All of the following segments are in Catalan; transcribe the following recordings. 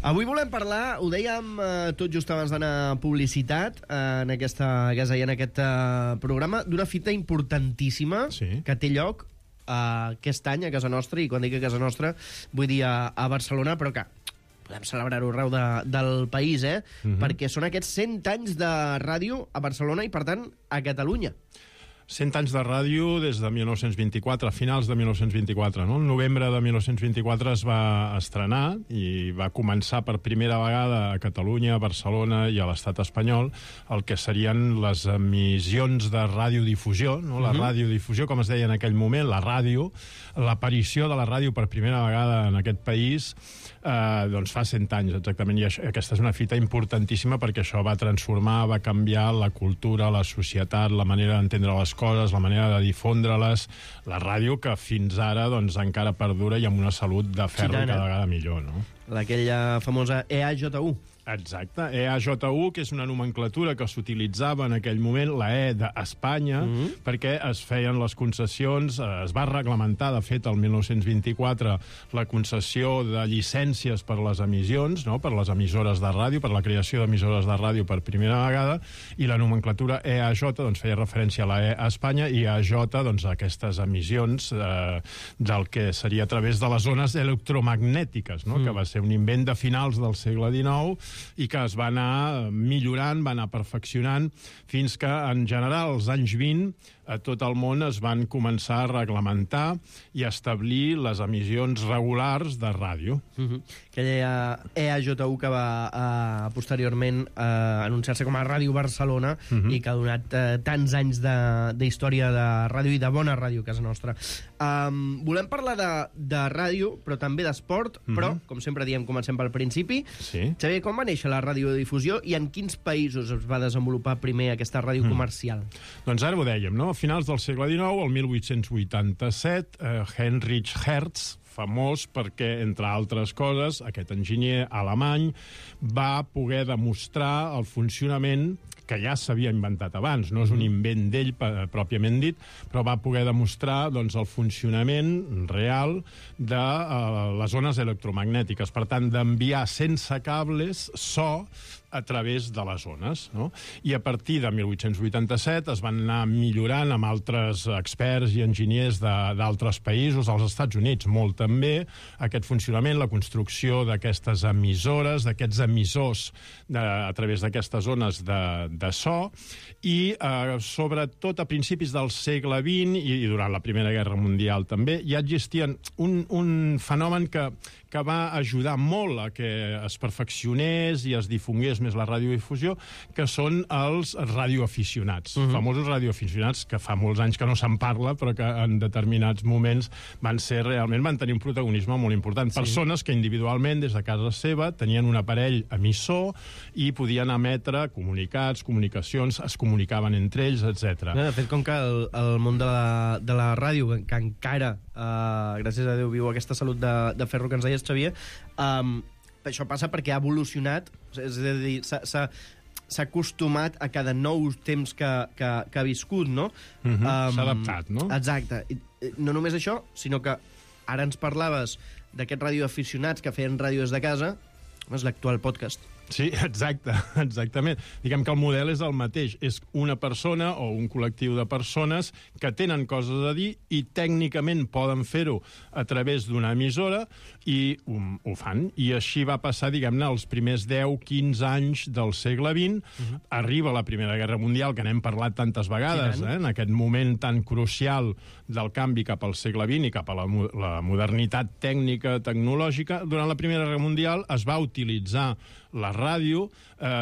Avui volem parlar, ho dèiem tot just abans d'anar a publicitat en aquest programa, d'una fita importantíssima que té lloc aquest any a casa nostra, i quan dic a casa nostra vull dir a Barcelona, però que podem celebrar-ho arreu del país, perquè són aquests 100 anys de ràdio a Barcelona i, per tant, a Catalunya. 100 anys de ràdio des de 1924, a finals de 1924. No? El novembre de 1924 es va estrenar i va començar per primera vegada a Catalunya, a Barcelona i a l'estat espanyol el que serien les emissions de radiodifusió, no? La radiodifusió, com es deia en aquell moment, la ràdio, l'aparició de la ràdio per primera vegada en aquest país, doncs fa 100 anys exactament, i aquesta és una fita importantíssima perquè això va transformar, va canviar la cultura, la societat, la manera d'entendre les coses, la manera de difondre-les, la ràdio que fins ara doncs encara perdura i amb una salut de ferro cada vegada millor, no? Aquella famosa EAJU. Exacte, EAJU, que és una nomenclatura que s'utilitzava en aquell moment, la E d'Espanya, perquè es feien les concessions, es va reglamentar, de fet, el 1924, la concessió de llicències per les emissions, no? Per les emissores de ràdio, per la creació d'emissores de ràdio per primera vegada, i la nomenclatura EAJ doncs, feia referència a la E a Espanya, i EAJ, doncs, a aquestes emissions del que seria a través de les ones electromagnètiques, no? Que va ser un invent de finals del segle XIX i que es va anar millorant, va anar perfeccionant, fins que, en general, als anys 20, a tot el món es van començar a reglamentar i a establir les emissions regulars de ràdio. Aquella EAJU que va posteriorment anunciar-se com a Ràdio Barcelona i que ha donat tants anys d'història de ràdio i de bona ràdio a casa nostra. Volem parlar de ràdio, però també d'esport, però, com sempre diem, comencem pel principi. Xavier, com va néixer la radiodifusió i en quins països es va desenvolupar primer aquesta ràdio comercial? Doncs ara ho dèiem, no? A finals del segle XIX, el 1887, Heinrich Hertz, famós perquè, entre altres coses, aquest enginyer alemany va poder demostrar el funcionament que ja s'havia inventat abans, no és un invent d'ell pròpiament dit, però va poder demostrar doncs, el funcionament real de les ones electromagnètiques, per tant, d'enviar sense cables so a través de les ones, no? I a partir de 1887 es van anar millorant amb altres experts i enginyers d'altres països, als Estats Units molt també, aquest funcionament, la construcció d'aquestes emissores, d'aquests emissors a través d'aquestes ones de so, i sobretot a principis del segle XX i durant la Primera Guerra Mundial també, ja existien un fenomen que va ajudar molt a que es perfeccionés i es difongués més la radiodifusió, que són els radioaficionats. Famosos radioaficionats que fa molts anys que no se'n parla, però que en determinats moments van tenir un protagonisme molt important. Persones que individualment, des de casa seva, tenien un aparell emissor i podien emetre comunicats, comunicacions, es comunicaven entre ells, etc. De fet, com que el món de la ràdio, que encara, gràcies a Déu, viu aquesta salut de ferro que ens deies, Xavier, això passa perquè ha evolucionat, és a dir, s'ha acostumat a cada nou temps que ha viscut, no? S'ha adaptat, no? Exacte. No només això, sinó que ara ens parlaves d'aquests radioaficionats que feien ràdio des de casa, és l'actual podcast. Sí, exactament. Diguem que el model és el mateix. És una persona o un col·lectiu de persones que tenen coses a dir i tècnicament poden fer-ho a través d'una emissora i ho fan. I així va passar, diguem-ne, els primers 10-15 anys del segle XX. Arriba la Primera Guerra Mundial, que n'hem parlat tantes vegades, en aquest moment tan crucial del canvi cap al segle XX i cap a la modernitat tècnica, tecnològica. Durant la Primera Guerra Mundial es va utilitzar la ràdio,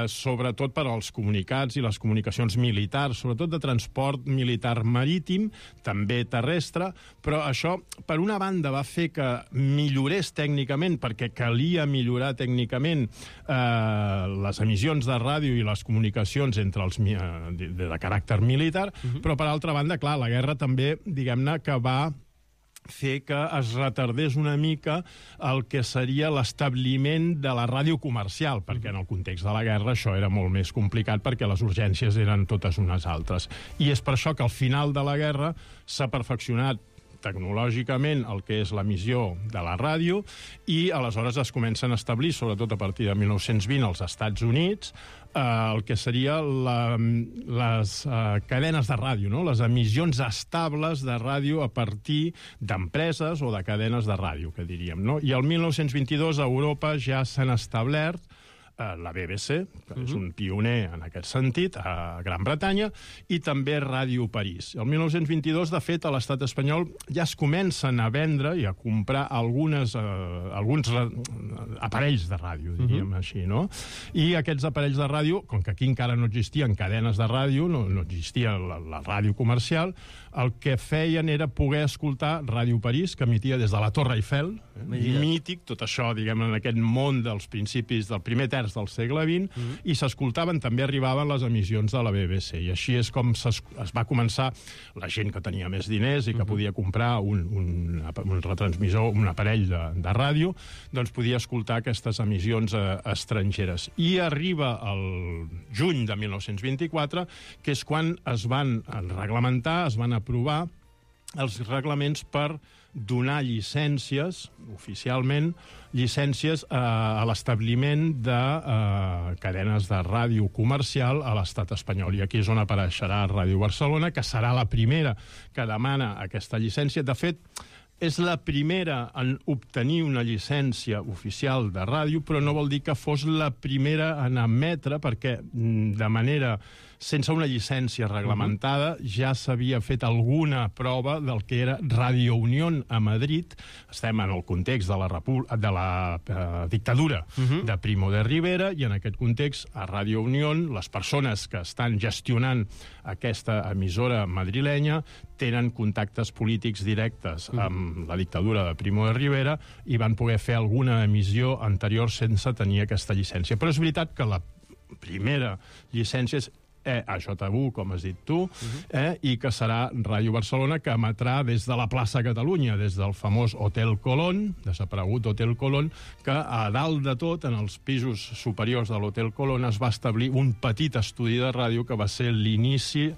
sobretot per als comunicats i les comunicacions militars, sobretot de transport militar marítim, també terrestre, però això, per una banda, va fer que millorés tècnicament, perquè calia millorar tècnicament les emissions de ràdio i les comunicacions entre els de caràcter militar, però per altra banda, clar, la guerra també, diguem-ne, que va fer que es retardés una mica el que seria l'establiment de la ràdio comercial, perquè en el context de la guerra això era molt més complicat perquè les urgències eren totes unes altres. I és per això que al final de la guerra s'ha perfeccionat tecnològicament el que és l'emissió de la ràdio, i aleshores es comencen a establir, sobretot a partir de 1920 als Estats Units, el que seria les cadenes de ràdio, no? Les emissions estables de ràdio a partir d'empreses o de cadenes de ràdio, que diríem, no? I el 1922 a Europa ja s'han establert la BBC, que és un pioner en aquest sentit, a Gran Bretanya, i també Ràdio París. El 1922, de fet, a l'estat espanyol ja es comencen a vendre i a comprar alguns aparells de ràdio, diríem així, no? I aquests aparells de ràdio, com que aquí encara no existien cadenes de ràdio, no existia la ràdio comercial, el que feien era poder escoltar Ràdio París, que emitia des de la Torre Eiffel, mític, tot això, diguem, en aquest món dels principis del primer terç del segle XX, i s'escoltaven, també arribaven les emissions de la BBC. I així és com es va començar la gent que tenia més diners i que podia comprar un retransmissor, un aparell de ràdio, doncs podia escoltar aquestes emissions estrangeres. I arriba el juny de 1924, que és quan es van reglamentar, es van aprovar els reglaments per donar llicències, oficialment, llicències a l'establiment de cadenes de ràdio comercial a l'estat espanyol. I aquí és on apareixerà Ràdio Barcelona, que serà la primera que demana aquesta llicència. De fet, és la primera en obtenir una llicència oficial de ràdio, però no vol dir que fos la primera en emetre, perquè de manera sense una llicència reglamentada ja s'havia fet alguna prova del que era Radio Unión a Madrid. Estem en el context de la dictadura de Primo de Rivera, i en aquest context, a Radio Unión, les persones que estan gestionant aquesta emissora madrilenya tenen contactes polítics directes amb la dictadura de Primo de Rivera i van poder fer alguna emissió anterior sense tenir aquesta llicència. Però és veritat que la primera llicència és EAJU, com has dit tu, i que serà Ràdio Barcelona, que emetrà des de la plaça Catalunya, des del famós Hotel Colón, desaparegut Hotel Colón, que a dalt de tot, en els pisos superiors de l'Hotel Colón, es va establir un petit estudi de ràdio que va ser l'inici,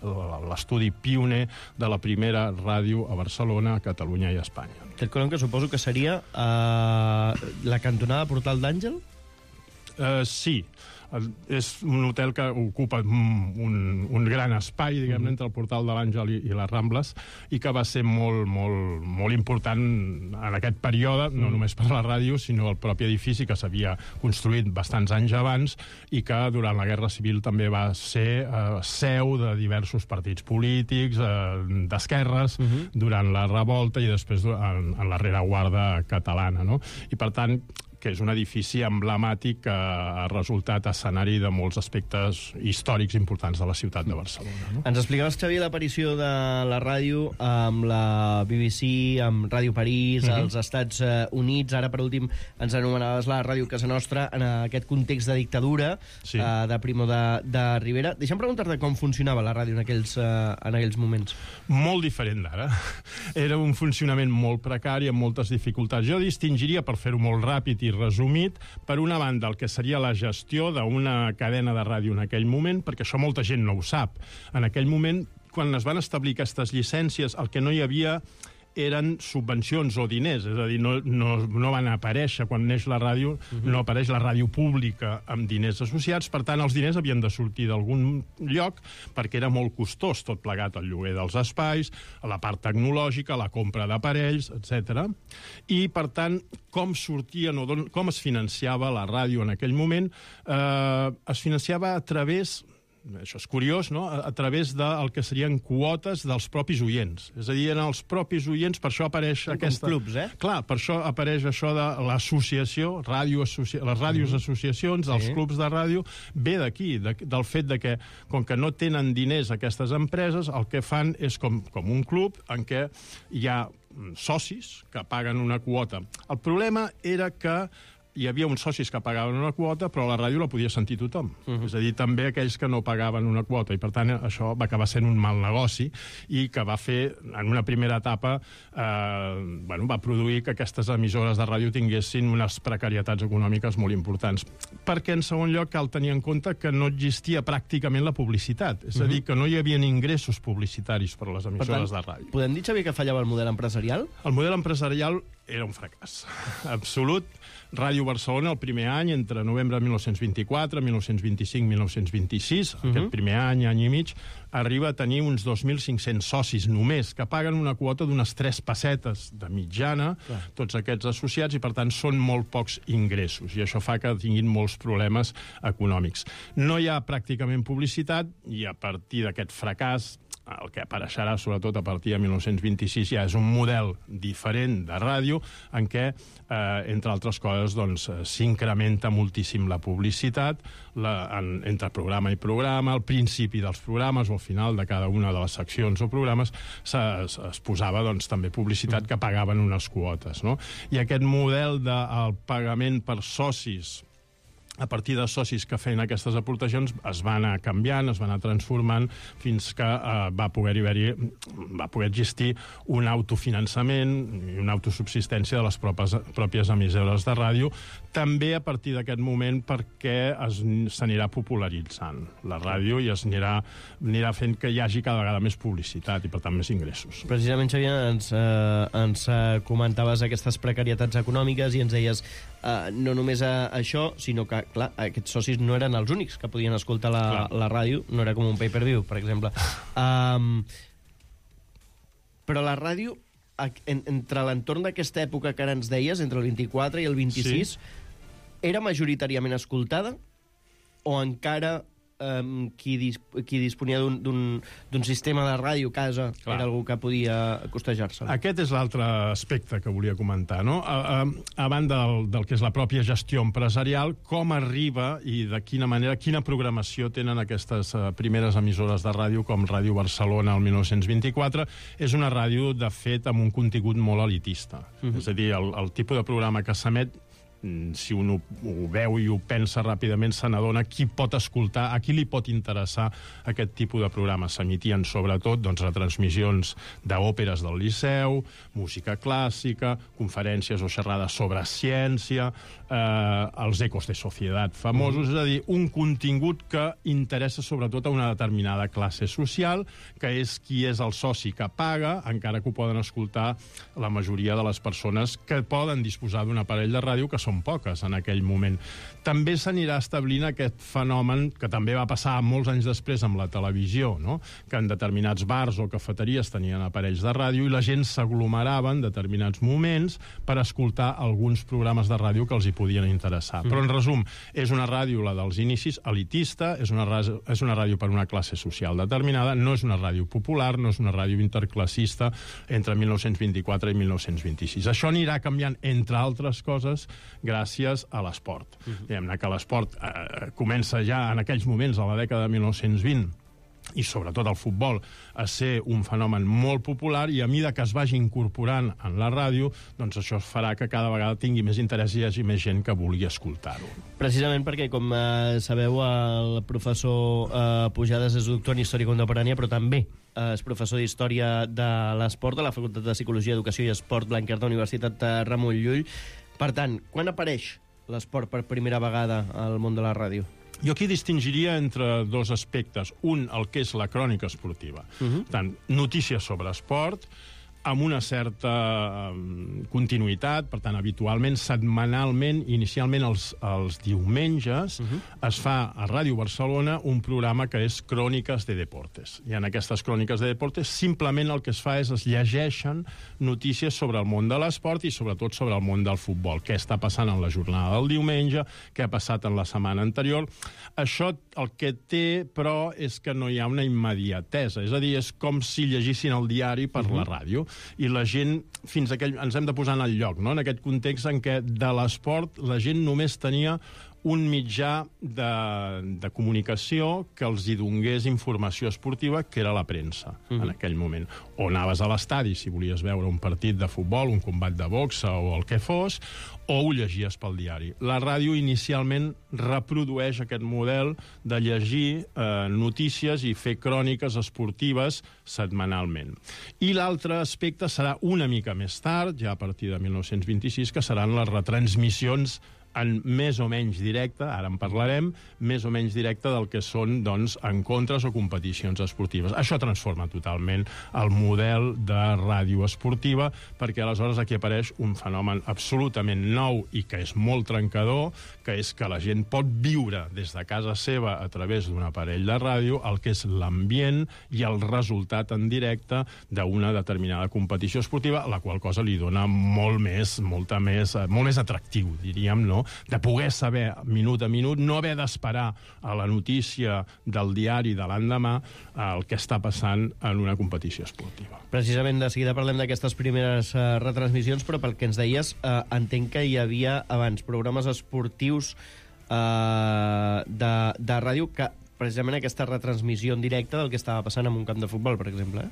l'estudi pioner de la primera ràdio a Barcelona, Catalunya i Espanya. Hotel Colón, que suposo que seria la cantonada Portal d'Àngel? Sí. És un hotel que ocupa un gran espai, diguem-ne, entre el Portal de l'Àngel i les Rambles, i que va ser molt important en aquest període, no només per la ràdio, sinó el propi edifici, que s'havia construït bastants anys abans i que durant la Guerra Civil també va ser seu de diversos partits polítics, d'esquerres, durant la revolta i després en la rereguarda catalana, no? I, per tant, que és un edifici emblemàtic que ha resultat escenari de molts aspectes històrics importants de la ciutat de Barcelona. No? Ens explicaves, Xavier, l'aparició de la ràdio amb la BBC, amb Ràdio París, als Estats Units. Ara, per últim, ens anomenaves la Ràdio Casa Nostra en aquest context de dictadura de Primo de Rivera. Deixa'm preguntar-te com funcionava la ràdio en aquells moments. Molt diferent d'ara. Era un funcionament molt precari, amb moltes dificultats. Jo distingiria, per fer-ho molt ràpid i resumit, per una banda, el que seria la gestió d'una cadena de ràdio en aquell moment, perquè això molta gent no ho sap. En aquell moment, quan es van establir aquestes llicències, el que no hi havia eren subvencions o diners, és a dir, no van aparèixer, quan neix la ràdio, no apareix la ràdio pública amb diners associats, per tant, els diners havien de sortir d'algun lloc, perquè era molt costós tot plegat, el lloguer dels espais, la part tecnològica, la compra d'aparells, etc. I, per tant, com sortien o com es financiava la ràdio en aquell moment? Es financiava a través, això és curiós, no?, a través del que serien quotes dels propis oients. És a dir, en els propis oients, per això apareix aquesta... Com clubs, Clar, per això apareix això de l'associació, les ràdios associacions, els clubs de ràdio, ve d'aquí, del fet de que, com que no tenen diners aquestes empreses, el que fan és com un club en què hi ha socis que paguen una quota. El problema era que hi havia uns socis que pagaven una quota, però la ràdio la podia sentir tothom. És a dir, també aquells que no pagaven una quota, i per tant això va acabar sent un mal negoci i que va fer, en una primera etapa, va produir que aquestes emissores de ràdio tinguessin unes precarietats econòmiques molt importants. Perquè, en segon lloc, cal tenir en compte que no existia pràcticament la publicitat. És a dir, que no hi havia ingressos publicitaris per a les emissores de ràdio. Podem dir, Xavier, que fallava el model empresarial? El model empresarial era un fracàs absolut. Ràdio Barcelona, el primer any, entre novembre de 1924, 1925, 1926, aquest primer any i mig, arriba a tenir uns 2.500 socis només, que paguen una quota d'unes 3 pessetes de mitjana, tots aquests associats, i per tant són molt pocs ingressos, i això fa que tinguin molts problemes econòmics. No hi ha pràcticament publicitat, i a partir d'aquest fracàs, el que apareixerà sobretot a partir de 1926 ja és un model diferent de ràdio en què, entre altres coses, s'incrementa moltíssim la publicitat entre programa i programa, al principi dels programes o al final de cada una de les seccions o programes es posava també publicitat que pagaven unes quotes, no? I aquest model del pagament per socis a partir de socis que feien aquestes aportacions es va anar canviant, es va anar transformant fins que va poder existir un autofinançament i una autosubsistència de les pròpies emissores de ràdio, també a partir d'aquest moment perquè s'anirà popularitzant la ràdio i anirà fent que hi hagi cada vegada més publicitat i per tant més ingressos. Precisament, Xavier, ens comentaves aquestes precarietats econòmiques i ens deies no només això, sinó que, clar, aquests socis no eren els únics que podien escoltar la ràdio, no era com un pay-per-view, per exemple. Però la ràdio, entre l'entorn d'aquesta època que ara ens deies, entre el 24 i el 26, era majoritàriament escoltada o encara qui disponia d'un sistema de ràdio a casa era algú que podia costejar-se? Aquest és l'altre aspecte que volia comentar, no? A banda del que és la pròpia gestió empresarial, com arriba i de quina manera, quina programació tenen aquestes primeres emissores de ràdio com Ràdio Barcelona el 1924, és una ràdio, de fet, amb un contingut molt elitista. És a dir, el tipus de programa que s'emet, si un ho veu i ho pensa ràpidament, se n'adona qui pot escoltar, a qui li pot interessar aquest tipus de programes. S'emitien sobretot retransmissions d'òperes del Liceu, música clàssica, conferències o xerrades sobre ciència, els ecos de societat famosos, és a dir, un contingut que interessa sobretot a una determinada classe social, que és qui és el soci que paga, encara que ho poden escoltar la majoria de les persones que poden disposar d'un aparell de ràdio, que són poques en aquell moment. També s'anirà establint aquest fenomen que també va passar molts anys després amb la televisió, no? Que en determinats bars o cafeteries tenien aparells de ràdio i la gent s'aglomerava en determinats moments per escoltar alguns programes de ràdio que els hi podien interessar. Però, en resum, és una ràdio, la dels inicis, elitista, és una ràdio per una classe social determinada, no és una ràdio popular, no és una ràdio interclassista entre 1924 i 1926. Això anirà canviant, entre altres coses, gràcies a l'esport. Diguem-ne que l'esport comença ja en aquells moments, a la dècada de 1920, i sobretot el futbol, a ser un fenomen molt popular, i a mesura que es vagi incorporant en la ràdio, doncs això farà que cada vegada tingui més interès i hi hagi més gent que vulgui escoltar-ho. Precisament perquè, com sabeu, el professor Pujades és doctor en Història Contemporània, però també és professor d'Història de l'Esport a la Facultat de Psicologia, Educació i Esport Blanquerna, Universitat Ramon Llull. Per tant, quan apareix l'esport per primera vegada al món de la ràdio? Jo aquí distingiria entre dos aspectes. Un, el que és la crònica esportiva. Tant, notícies sobre esport, amb una certa continuïtat, per tant, habitualment, setmanalment, inicialment els diumenges, es fa a Ràdio Barcelona un programa que és Cròniques de Deportes. I en aquestes Cròniques de Deportes simplement el que es fa és es llegeixen notícies sobre el món de l'esport i sobretot sobre el món del futbol. Què està passant en la jornada del diumenge, què ha passat en la setmana anterior. Això el que té, però, és que no hi ha una immediatesa. És a dir, és com si llegissin el diari per la ràdio. I la gent, fins aquell, ens hem de posar en el lloc, no? En aquest context en què de l'esport la gent només tenia un mitjà de comunicació que els hi donés informació esportiva, que era la premsa, en aquell moment. O anaves a l'estadi, si volies veure un partit de futbol, un combat de boxa o el que fos, o ho llegies pel diari. La ràdio inicialment reprodueix aquest model de llegir notícies i fer cròniques esportives setmanalment. I l'altre aspecte serà una mica més tard, ja a partir de 1926, que seran les retransmissions en més o menys directe, ara en parlarem, més o menys directe del que són, doncs, encontres o competicions esportives. Això transforma totalment el model de ràdio esportiva, perquè aleshores aquí apareix un fenomen absolutament nou i que és molt trencador, que és que la gent pot viure des de casa seva a través d'un aparell de ràdio el que és l'ambient i el resultat en directe d'una determinada competició esportiva, la qual cosa li dona molt més atractiu, diríem, no?, de poder saber minut a minut, no haver d'esperar a la notícia del diari de l'endemà el que està passant en una competició esportiva. Precisament, de seguida parlem d'aquestes primeres retransmissions, però pel que ens deies, entenc que hi havia abans programes esportius de ràdio que precisament aquesta retransmissió en directe del que estava passant en un camp de futbol, per exemple,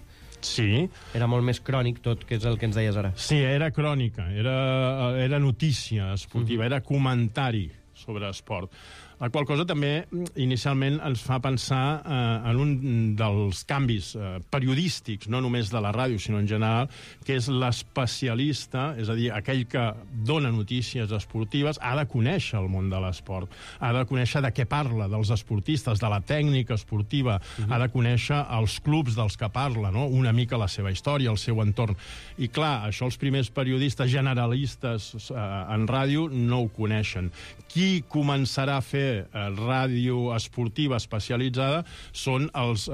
Sí. Era molt més crònic tot, que és el que ens deies ara. Sí, era crònica, era notícia esportiva, era comentari sobre esport. La qual cosa també inicialment ens fa pensar en un dels canvis periodístics, no només de la ràdio, sinó en general, que és l'especialista, és a dir, aquell que dona notícies esportives, ha de conèixer el món de l'esport, ha de conèixer de què parla, dels esportistes, de la tècnica esportiva, ha de conèixer els clubs dels que parla, no?, una mica la seva història, el seu entorn. I clar, això els primers periodistes generalistes en ràdio no ho coneixen. Qui començarà a fer ràdio esportiva especialitzada són els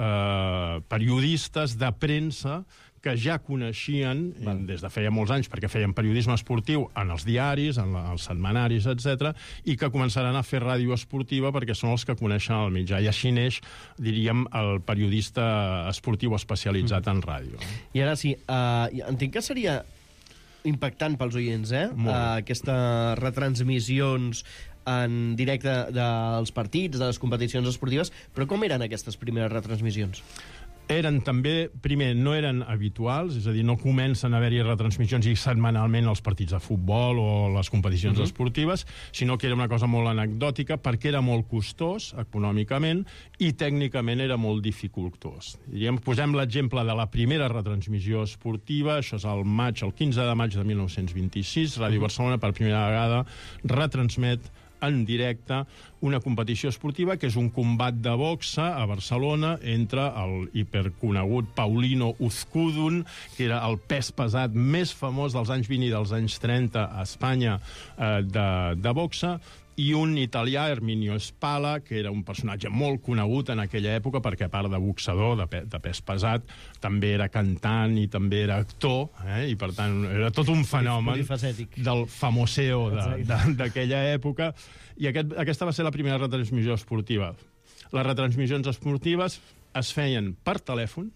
periodistes de premsa que ja coneixien des de feia molts anys, perquè feien periodisme esportiu en els diaris, en els setmanaris, etc., i que començaran a fer ràdio esportiva perquè són els que coneixen el mitjà. I així neix, diríem, el periodista esportiu especialitzat en ràdio. I ara sí, entenc que seria impactant pels oients, aquestes retransmissions en directe dels partits, de les competicions esportives, però com eren aquestes primeres retransmissions? Eren també, primer, no eren habituals, és a dir, no comencen a haver-hi retransmissions i setmanalment els partits de futbol o les competicions esportives, sinó que era una cosa molt anecdòtica perquè era molt costós econòmicament i tècnicament era molt dificultós. Posem l'exemple de la primera retransmissió esportiva, això és el 15 de maig de 1926, Ràdio Barcelona per primera vegada retransmet en directe una competició esportiva que és un combat de boxa a Barcelona entre el hiperconegut Paulino Uzkudun, que era el pes pesat més famós dels anys 20 i dels anys 30 a Espanya de boxa, i un italià, Erminio Spala, que era un personatge molt conegut en aquella època perquè, a part de boxador, de pes pesat, també era cantant i també era actor, i per tant era tot un fenomen del famoseo d'aquella època. I aquesta va ser la primera retransmissió esportiva. Les retransmissions esportives es feien per telèfon,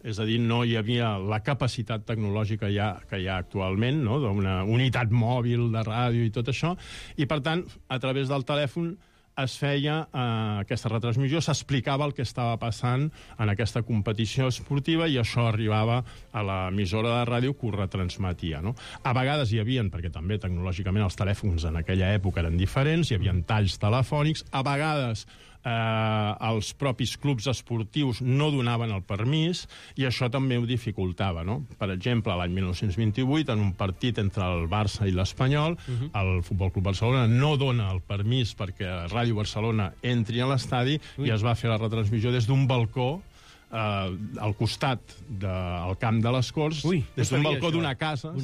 és a dir, no hi havia la capacitat tecnològica que hi ha actualment, no?, d'una unitat mòbil de ràdio i tot això, i per tant, a través del telèfon es feia aquesta retransmissió, s'explicava el que estava passant en aquesta competició esportiva i això arribava a l'emissora de ràdio que ho retransmetia, no? A vegades hi havia, perquè també tecnològicament els telèfons en aquella època eren diferents, hi havia talls telefònics, a vegades els propis clubs esportius no donaven el permís i això també ho dificultava, no? Per exemple, l'any 1928, en un partit entre el Barça i l'Espanyol, el Futbol Club Barcelona no dona el permís perquè Ràdio Barcelona entri a l'estadi i es va fer la retransmissió des d'un balcó al costat del camp de les Corts, des d'un balcó d'una casa,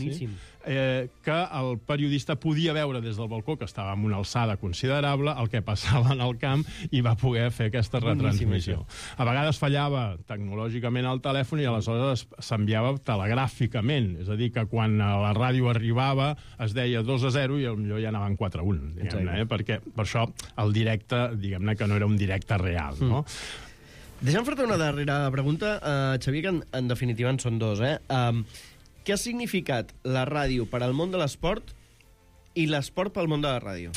que el periodista podia veure des del balcó, que estava en una alçada considerable, el que passava en el camp i va poder fer aquesta retransmissió. A vegades fallava tecnològicament el telèfon i aleshores s'enviava telegràficament, és a dir, que quan la ràdio arribava es deia 2-0 i potser ja anaven 4-1, diguem-ne, perquè per això el directe, diguem-ne que no era un directe real, no? Deixa'm fer-te una darrera pregunta, Xavier, que en definitiva en són dos. Què ha significat la ràdio per al món de l'esport i l'esport pel món de la ràdio?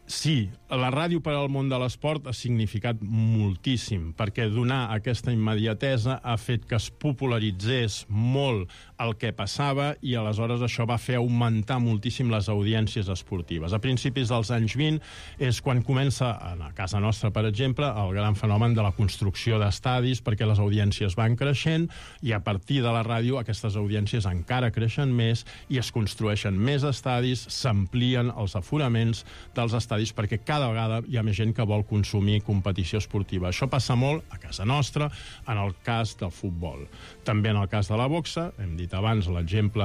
Sí, la ràdio per al món de l'esport ha significat moltíssim, perquè donar aquesta immediatesa ha fet que es popularitzés molt el que passava i aleshores això va fer augmentar moltíssim les audiències esportives. A principis dels anys 20 és quan comença, a casa nostra, per exemple, el gran fenomen de la construcció d'estadis, perquè les audiències van creixent i a partir de la ràdio aquestes audiències encara creixen més i es construeixen més estadis, s'amplien els aforaments dels estadis perquè cada vegada hi ha més gent que vol consumir competició esportiva. Això passa molt a casa nostra, en el cas del futbol. També en el cas de la boxa, hem dit abans l'exemple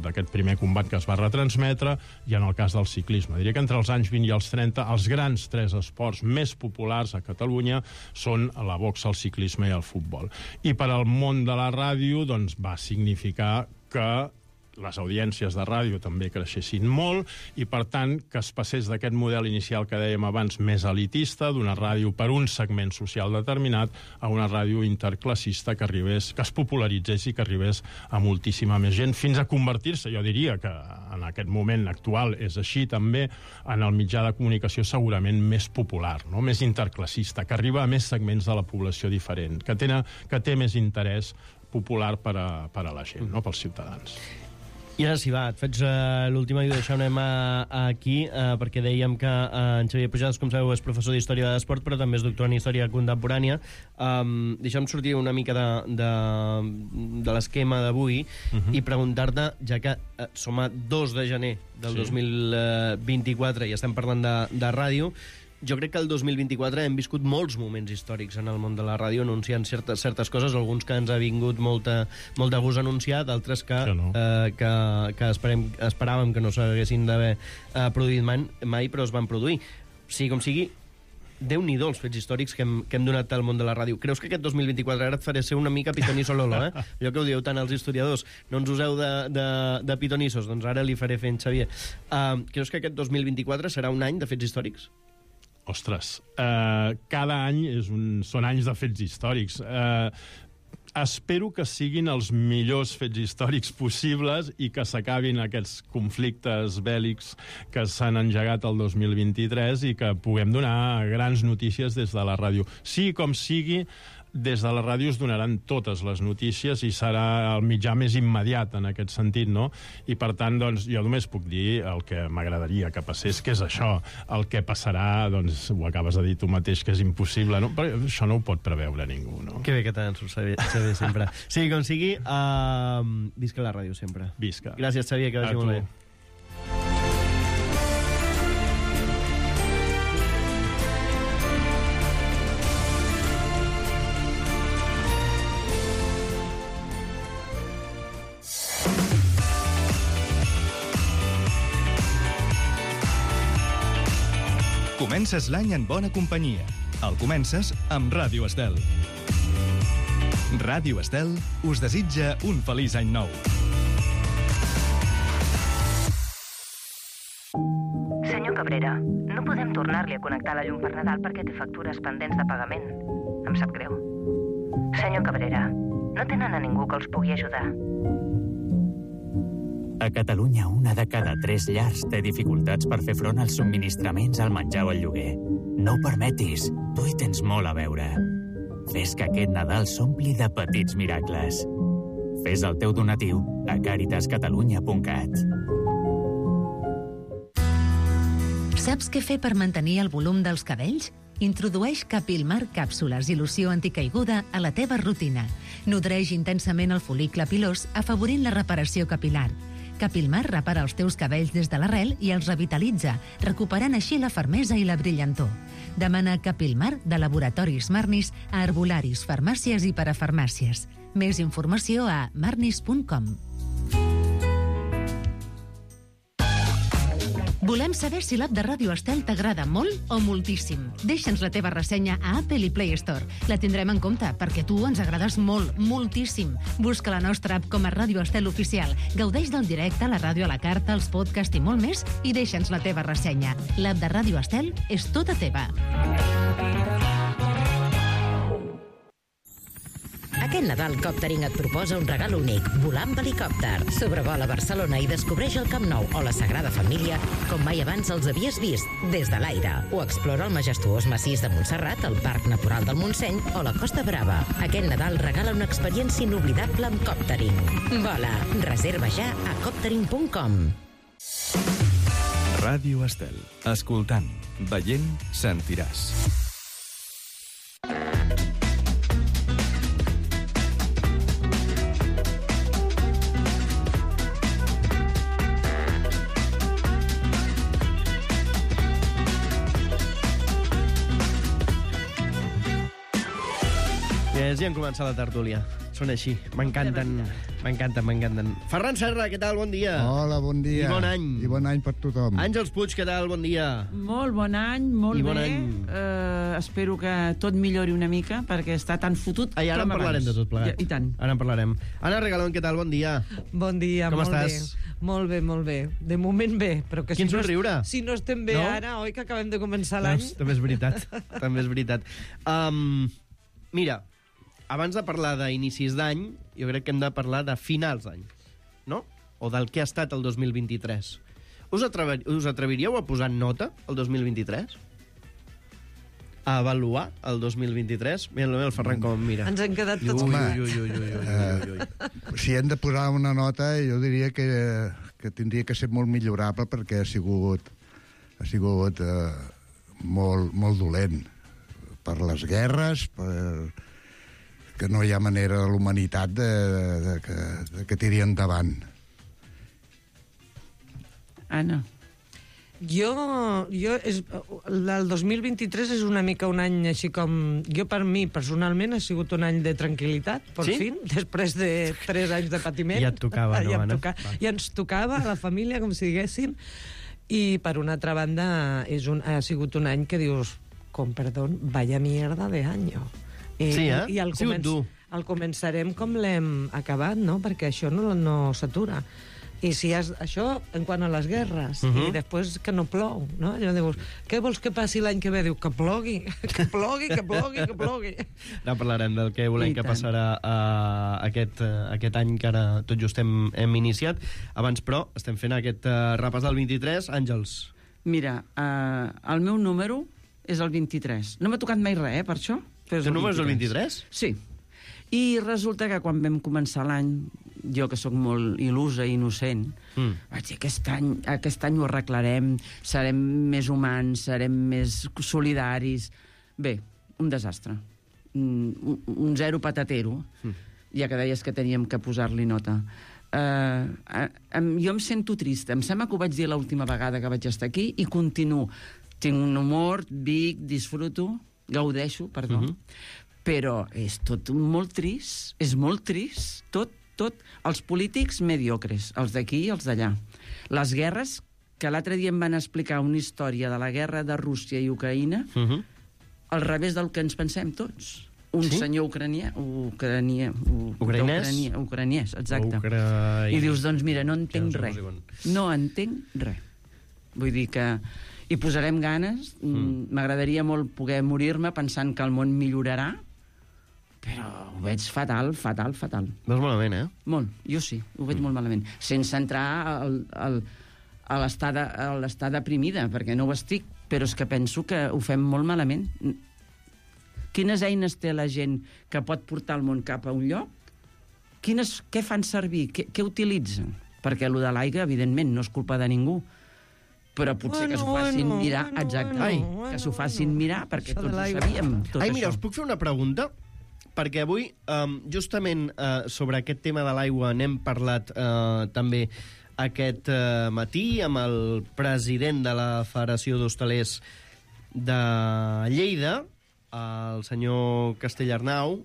d'aquest primer combat que es va retransmetre, i en el cas del ciclisme. Diria que entre els anys 20 i els 30, els grans 3 esports més populars a Catalunya són la boxa, el ciclisme i el futbol. I per al món de la ràdio, doncs, va significar que les audiències de ràdio també creixessin molt i, per tant, que es passés d'aquest model inicial que dèiem abans més elitista, d'una ràdio per un segment social determinat, a una ràdio interclassista que es popularitzés i que arribés a moltíssima més gent, fins a convertir-se, jo diria que en aquest moment actual és així també, en el mitjà de comunicació segurament més popular, no? Més interclassista, que arriba a més segments de la població diferent, que té més interès popular per a la gent, no? Pels ciutadans. I ara sí, va, et faig l'última i ho deixem aquí, perquè dèiem que en Xavier Pujades, com sabeu, és professor d'Història de l'Esport, però també és doctor en Història Contemporània. Deixa'm sortir una mica de l'esquema d'avui i preguntar-te, ja que som a 2 de gener del 2024 i estem parlant de ràdio, jo crec que el 2024 hem viscut molts moments històrics en el món de la ràdio, anunciant certes coses, alguns que ens ha vingut molt de gust anunciar, d'altres que esperàvem que no s'haguessin d'haver produït mai, però es van produir. Sigui com sigui, Déu-n'hi-do els fets històrics que hem donat al món de la ràdio. Creus que aquest 2024, ara et faré ser una mica pitonisso Lolo, allò que ho dieu tant els historiadors, no ens useu de pitonissos, doncs ara li faré fent Xavier. Creus que aquest 2024 serà un any de fets històrics? Ostres, cada any són anys de fets històrics. Espero que siguin els millors fets històrics possibles i que s'acabin aquests conflictes bèl·lics que s'han engegat el 2023 i que puguem donar grans notícies des de la ràdio. Sigui com sigui, des de la ràdio es donaran totes les notícies i serà el mitjà més immediat en aquest sentit, no? I per tant, doncs, jo només puc dir el que m'agradaria que passés, que és això. El que passarà, doncs, ho acabes de dir tu mateix, que és impossible, no? Però això no ho pot preveure ningú, no? Que bé que te'n surts, Xavier, sempre. Sí, com sigui, visca la ràdio sempre. Visca. Gràcies, Xavier, que vagi molt bé. Comences l'any en bona companyia. El comences amb Ràdio Estel. Ràdio Estel us desitja un feliç any nou. Senyor Cabrera, no podem tornar-li a connectar la llum per Nadal perquè té factures pendents de pagament. Em sap greu. Senyor Cabrera, no tenen a ningú que els pugui ajudar. A Catalunya, 1 de cada 3 llars té dificultats per fer front als subministraments, al menjar o al lloguer. No ho permetis, tu hi tens molt a veure. Fes que aquest Nadal s'ompli de petits miracles. Fes el teu donatiu a caritascatalunya.cat. Saps què fer per mantenir el volum dels cabells? Introdueix Capilmar càpsules i loció anticaiguda a la teva rutina. Nodreix intensament el fol·licle pilós, afavorint la reparació capilar. Capilmar repara els teus cabells des de l'arrel i els revitalitza, recuperant així la fermesa i la brillantor. Demana Capilmar de Laboratoris Marnis a herbolaris, farmàcies i parafarmàcies. Més informació a marnis.com. Volem saber si l'app de Ràdio Estel t'agrada molt o moltíssim. Deixa'ns la teva ressenya a Apple i Play Store. La tindrem en compte, perquè tu ens agrades molt, moltíssim. Busca la nostra app com a Ràdio Estel Oficial. Gaudeix del directe, la ràdio a la carta, els podcasts i molt més, i deixa'ns la teva ressenya. L'app de Ràdio Estel és tota teva. Aquest Aquest Nadal Coptering et proposa un regal únic, volar amb helicòpter. Sobrevola Barcelona i descobreix el Camp Nou o la Sagrada Família com mai abans els havies vist, des de l'aire. O explora el majestuós massís de Montserrat, el Parc Natural del Montseny o la Costa Brava. Aquest Nadal regala una experiència inoblidable amb Coptering. Vola, reserva ja a coptering.com. Ràdio Estel. Escoltant, veient, sentiràs. Ja han començat la tertúlia. Són així. M'encanten. Ferran Serra, què tal? Bon dia. Hola, bon dia. I bon any. I bon any per tothom. Àngels Puig, què tal? Bon dia. Molt bon any, molt I bé. bon any. Espero que tot millori una mica, perquè està tan fotut Ai, ara en parlarem de tot plegat. I tant. Ara en parlarem. Anna Regalón, què tal? Bon dia. Bon dia, Com molt estàs? bé. Molt bé, molt bé. De moment bé, però que Quin si no, somriure. si no estem bé No? ara, oi que acabem de començar l'any? Doncs, també és veritat. També és veritat. Mira, abans de parlar d'inicis d'any, jo crec que hem de parlar de finals d'any, no? O del que ha estat el 2023. Us atreviríeu a posar nota el 2023? A avaluar el 2023? Mira el Ferran com em mira. Ens han quedat tots... Ui. Si hem de posar una nota, jo diria que tindria que ser molt millorable perquè ha sigut molt dolent per les guerres, que no hi ha manera de l'humanitat de que tiri endavant. Anna. El 2023 és una mica un any així com... Jo, per mi, personalment, ha sigut un any de tranquil·litat, per Sí? fi, després de 3 anys de patiment. Ja et tocava, no, Anna? Ja ens tocava, a la família, com si diguéssim. I, per una altra banda, ha sigut un any que dius, con perdón, vaya mierda de año. Sí, eh? I Ha sigut dur. el començarem com l'hem acabat, no? Perquè això no s'atura. I si això, en quant a les guerres, i després que no plou, no? Allò dius, què vols que passi l'any que ve? Diu, que plogui, que plogui, que plogui, que plogui. Ara parlarem del que volem que passarà aquest any que ara tot just hem iniciat. Abans, però, estem fent aquest repàs del 23. Àngels. Mira, el meu número és el 23. No m'ha tocat mai res, per això. El número és el 23? Sí. I resulta que quan vam començar l'any, jo que sóc molt il·lusa i innocent, vaig dir, aquest any ho arreglarem, serem més humans, serem més solidaris. Bé, un desastre. Un zero patatero, ja que deies que teníem que posar-li nota. Jo em sento trista. Em sembla que ho vaig dir l'última vegada que vaig estar aquí i continuo. Tinc un humor, vic, disfruto, gaudeixo, perdó, però és tot molt trist, és molt trist, tot. Els polítics mediocres, els d'aquí i els d'allà. Les guerres, que l'altre dia em van explicar una història de la guerra de Rússia i Ucraïna, al revés del que ens pensem tots. Un senyor ucraniès, exacte. I dius, doncs mira, no entenc res. No entenc res. Vull dir que hi posarem ganes. M'agradaria molt poder morir-me pensant que el món millorarà, però ho veig fatal. Veus malament, eh? Molt, jo sí, ho veig molt malament. Sense entrar a l'estar deprimida, perquè no ho estic, però és que penso que ho fem molt malament. Quines eines té la gent que pot portar el món cap a un lloc? Què fan servir? Què utilitzen? Perquè allò de l'aigua, evidentment, no és culpa de ningú, però potser que s'ho facin mirar, exacte, que s'ho facin mirar, perquè tots ho sabíem, tot això. Mira, us puc fer una pregunta? Perquè avui, justament sobre aquest tema de l'aigua n'hem parlat també aquest matí amb el president de la Federació d'Hostalers de Lleida, el senyor Castellarnau,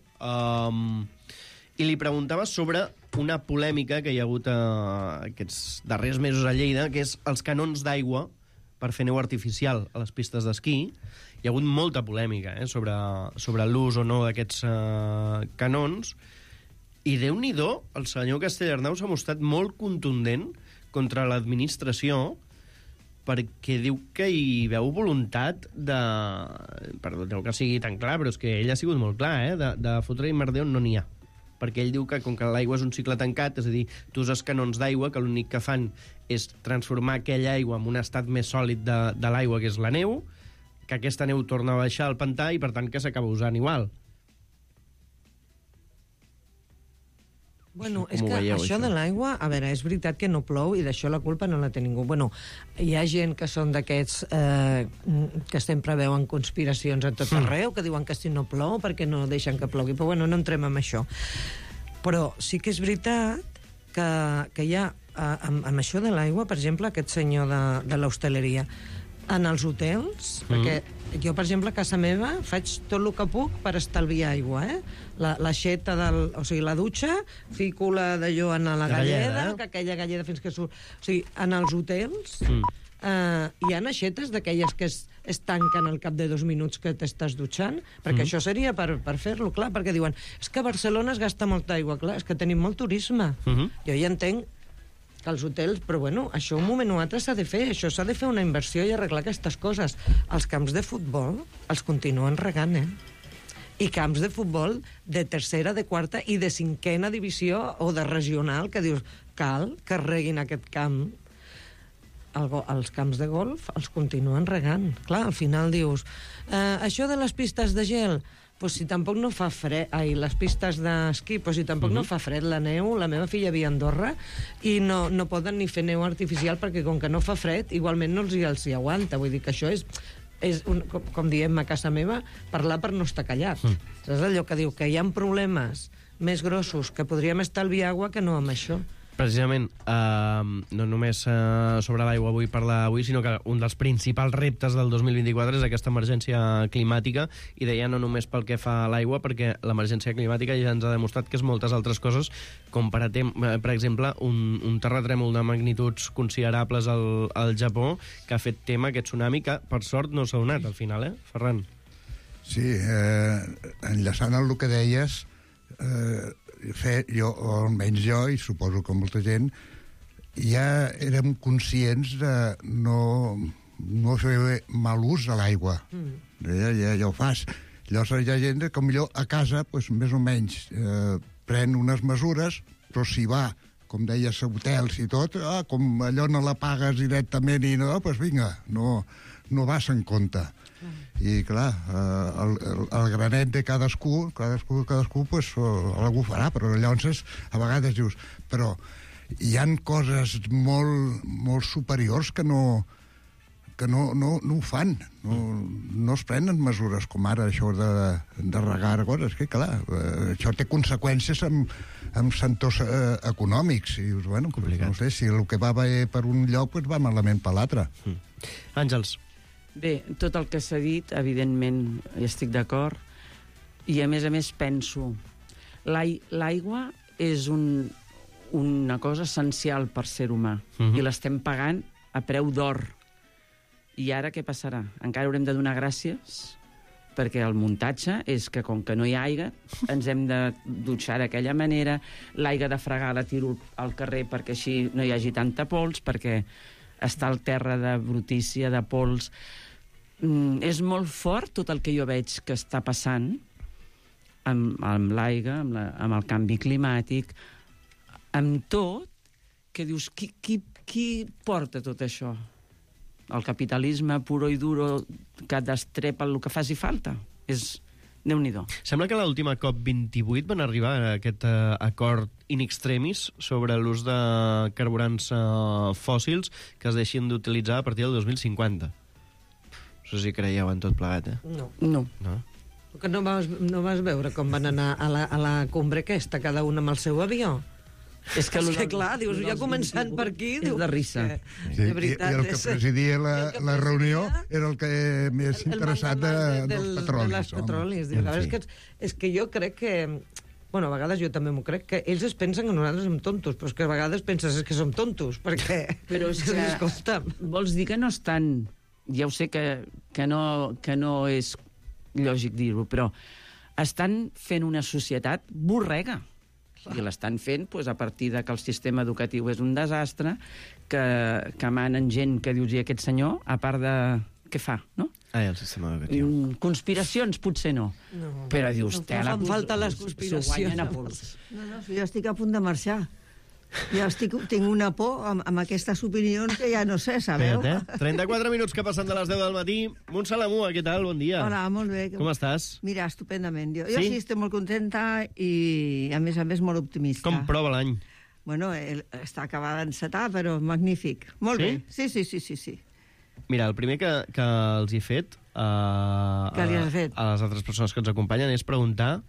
i li preguntava sobre una polèmica que hi ha hagut aquests darrers mesos a Lleida, que és els canons d'aigua per fer neu artificial a les pistes d'esquí. Hi ha hagut molta polèmica sobre l'ús o no d'aquests canons, i Déu-n'hi-do, el senyor Castellarnau s'ha mostrat molt contundent contra l'administració, perquè diu que hi veu voluntat de... Perdoneu que sigui tan clar, però és que ell ha sigut molt clar, de fotre-hi merder on no n'hi ha. perquè ell diu que com que l'aigua és un cicle tancat, és a dir, tu uses canons d'aigua que l'únic que fan és transformar aquella aigua en un estat més sòlid de l'aigua, que és la neu, que aquesta neu torna a baixar al pantà i, per tant, que s'acaba usant igual. Bueno, és que això de l'aigua, a veure, és veritat que no plou i d'això la culpa no la té ningú. Bueno, hi ha gent que són d'aquests que sempre veuen conspiracions a tot arreu, que diuen que si no plou perquè no deixen que plogui, però bueno, no entrem en això. Però sí que és veritat que hi ha, amb això de l'aigua, per exemple, aquest senyor de l'hostaleria, en els hotels, perquè jo, per exemple, a casa meva faig tot el que puc per estalviar aigua, l'aixeta o sigui, la dutxa, fico d'allò en la galleda, que aquella galleda fins que surt... O sigui, en els hotels hi ha aixetes d'aquelles que es tanquen al cap de 2 minuts que t'estàs dutxant, perquè això seria per fer-lo, clar, perquè diuen, és que a Barcelona es gasta molta aigua, clar, és que tenim molt turisme. Jo ja entenc que els hotels, però bueno, això un moment o altre s'ha de fer, això s'ha de fer una inversió i arreglar aquestes coses. Els camps de futbol els continuen regant, I camps de futbol de tercera, de quarta i de 5a divisió o de regional, que dius, cal que reguin aquest camp. Els camps de golf els continuen regant. Clar, al final dius, això de les pistes de gel, pues si tampoc no fa fred, les pistes d'esquí, pues si tampoc no fa fred, la neu, la meva filla havia a Andorra i no poden ni fer neu artificial perquè com que no fa fred, igualment no els hi aguanta. Vull dir que això és com diem a casa meva, parlar per no estar callat. És allò que diu que hi ha problemes més grossos que podríem estalviar aigua que no amb això. Precisament, no només sobre l'aigua vull parlar avui, sinó que un dels principals reptes del 2024 és aquesta emergència climàtica, i deia no només pel que fa a l'aigua, perquè l'emergència climàtica ja ens ha demostrat que és moltes altres coses, com per exemple un terratrèmol de magnituds considerables al Japó, que ha fet tema aquest tsunami, que per sort no s'ha donat al final, Ferran? Sí, enllaçant el que deies, jo, o almenys jo, i suposo que molta gent, ja érem conscients de no fer mal ús de l'aigua. Ja ho fas. Llavors hi ha gent que millor a casa, més o menys, pren unes mesures, però si va, com deies, a hotels i tot, com allò no la pagues directament i no, doncs vinga, no vas en compte. I clar, el granet de cadascú pues, algú farà, però llavors a vegades dius, però hi han coses molt superiors que no ho fan, no es prenen mesures com ara això de regar coses, que clar, això té conseqüències amb sectors econòmics, i dius, bueno, no sé, si el que va bé per un lloc pues va malament per l'altre. Àngels. Bé, tot el que s'ha dit, evidentment, hi estic d'acord, i a més penso, l'aigua és una cosa essencial per ser humà, i l'estem pagant a preu d'or. I ara què passarà? Encara haurem de donar gràcies, perquè el muntatge és que, com que no hi ha aigua, ens hem de dutxar d'aquella manera, l'aigua de fregar la tiro al carrer perquè així no hi hagi tanta pols, perquè està al terra de brutícia, de pols. És molt fort tot el que jo veig que està passant amb l'aigua, amb el canvi climàtic, amb tot, que dius, qui porta tot això? El capitalisme puro i duro que destrepa el que faci falta? És Déu-n'hi-do. Sembla que a l'última COP28 van arribar a aquest acord in extremis sobre l'ús de carburants fòssils que es deixin d'utilitzar a partir del 2050. No sé si creieu en tot plegat, No. Que no vas veure com van anar a la cumbre aquesta, cada un amb el seu avió? És que clar, dius, ja començant per aquí... És de risa. Sí, i el que presidia la reunió era el que més interessat dels petrolis. De les petrolis. És que jo crec que... Bueno, a vegades jo també m'ho crec, que ells es pensen que nosaltres som tontos, però és que a vegades penses que som tontos, perquè... Però és que... Escolta, vols dir que no estan... Ja ho sé que no és lògic dir-ho, però estan fent una societat borrega. I l'estan fent a partir de que el sistema educatiu és un desastre, que manen gent que dius, i aquest senyor, a part de... Què fa, no? El sistema educatiu. Conspiracions, potser no. Però dius, fan falta les conspiracions. S'ho guanyen a pols. No, jo estic a punt de marxar. Ja tinc una por amb aquestes opinions que ja no sé, sabeu? 34 minuts que passen de les 10 del matí. Montse Lamua, què tal? Bon dia. Hola, molt bé. Com estàs? Mira, estupendament. Jo sí estic molt contenta i, a més, molt optimista. Com prova l'any? Bueno, està acabada d'encetar, però magnífic. Molt bé. Sí. Mira, el primer que els he fet, Què li has fet? a les altres persones que ens acompanyen és preguntar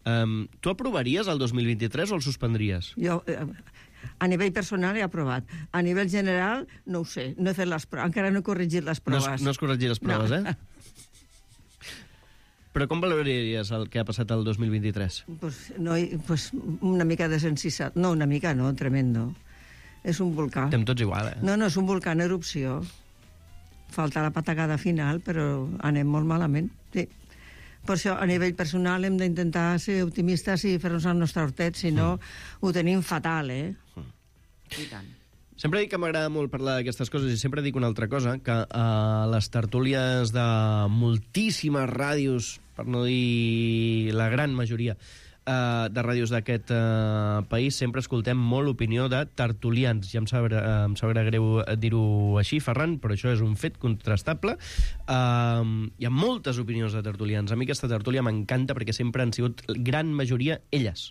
tu aprovaries el 2023 o el suspendries? Jo, a nivell personal, he aprovat. A nivell general, no ho sé. No he fet les proves. Encara no he corregit les proves. No has corregit les proves, no. Però com valoraries el que ha passat el 2023? Pues una mica de sensibilitat. No, una mica no, tremendo. És un volcà. Estem tots igual, No, és un volcà en erupció. Falta la patacada final, però anem molt malament. Sí. Per això, a nivell personal, hem d'intentar ser optimistes i fer-nos el nostre hortet, si no, ho tenim fatal, I tant. Sempre dic que m'agrada molt parlar d'aquestes coses i sempre dic una altra cosa, que a les tertúlies de moltíssimes ràdios, per no dir la gran majoria de ràdios d'aquest país, sempre escoltem molt l'opinió de tertulians. Ja em sabrà greu dir-ho així, Ferran, però això és un fet contrastable. Hi ha moltes opinions de tertulians. A mi aquesta tertúlia m'encanta perquè sempre han sigut gran majoria elles,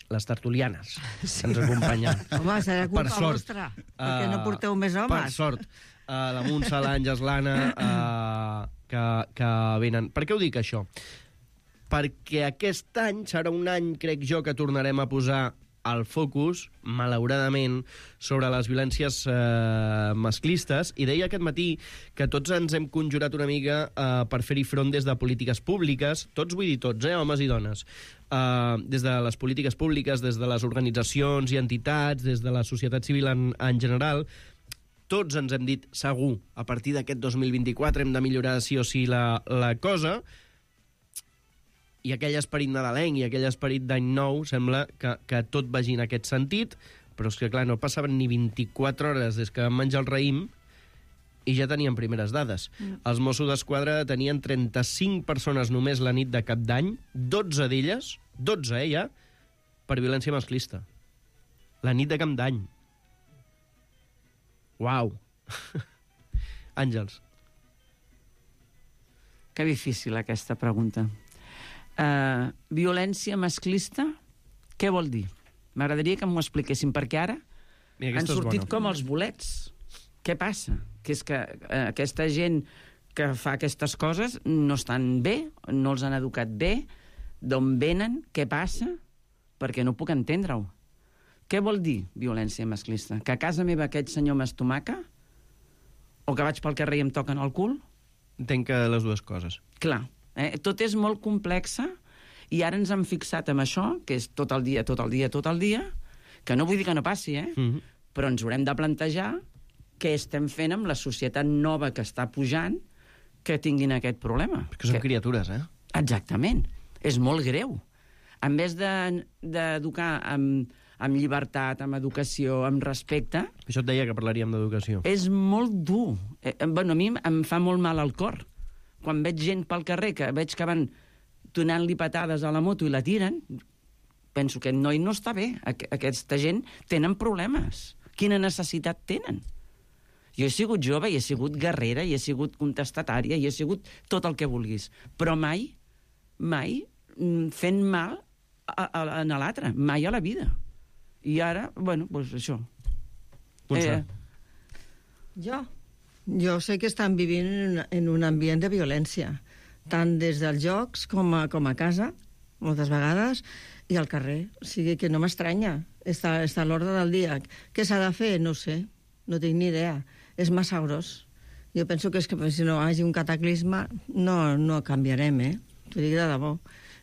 les tertulianes, que ens acompanyen. Home, serà culpa vostra, perquè no porteu més homes. Per sort. La Montse, l'Àngels, l'Anna, que venen. Per què ho dic, això? Perquè aquest any serà un any, crec jo, que tornarem a posar el focus, malauradament, sobre les violències masclistes, i deia aquest matí que tots ens hem conjurat una mica per fer-hi front des de polítiques públiques, tots, vull dir tots, homes i dones, des de les polítiques públiques, des de les organitzacions i entitats, des de la societat civil en general. Tots ens hem dit, segur, a partir d'aquest 2024 hem de millorar sí o sí la cosa, i aquell esperit nadalenc i aquell esperit d'any nou sembla que tot vagi en aquest sentit, però és que, clar, no passaven ni 24 hores des que vam menjar el raïm i ja tenien primeres dades. Els Mossos d'Esquadra tenien 35 persones només la nit de Cap d'Any, 12 d'elles, 12, ja, per violència masclista. La nit de Cap d'Any. Uau! Àngels. Que difícil, aquesta pregunta. Violència masclista, què vol dir? M'agradaria que m'ho expliquessin, perquè ara han sortit com els bolets. Què passa? Que és que aquesta gent que fa aquestes coses no estan bé, no els han educat bé, d'on venen, què passa? Perquè no puc entendre-ho. Què vol dir violència masclista? Que a casa meva aquest senyor m'estomaca? O que vaig pel carrer i em toquen el cul? Entenc que les dues coses. Clar. Tot és molt complexa i ara ens hem fixat en això, que és tot el dia, que no vull dir que no passi, però ens haurem de plantejar què estem fent amb la societat nova que està pujant que tinguin aquest problema. Perquè són criatures, Exactament. És molt greu. En vez d'educar amb llibertat, amb educació, amb respecte... Això et deia que parlaríem d'educació. És molt dur. A mi em fa molt mal al cor. Quan veig gent pel carrer, que veig que van donant-li patades a la moto i la tiren, penso que aquest noi no està bé. Aquesta gent tenen problemes. Quina necessitat tenen? Jo he sigut jove, i he sigut guerrera, i he sigut contestatària, i he sigut tot el que vulguis. Però mai fent mal a l'altre. Mai a la vida. I ara, bueno, doncs això. Jo sé que estan vivint en un ambient de violència, tant des dels jocs com a casa, moltes vegades, i al carrer. O sigui que no m'estranya. Està a l'ordre del dia. Què s'ha de fer? No sé. No tinc ni idea. És massa gros. Jo penso que és que si no hi hagi un cataclisme no canviarem, T'ho dic de debò.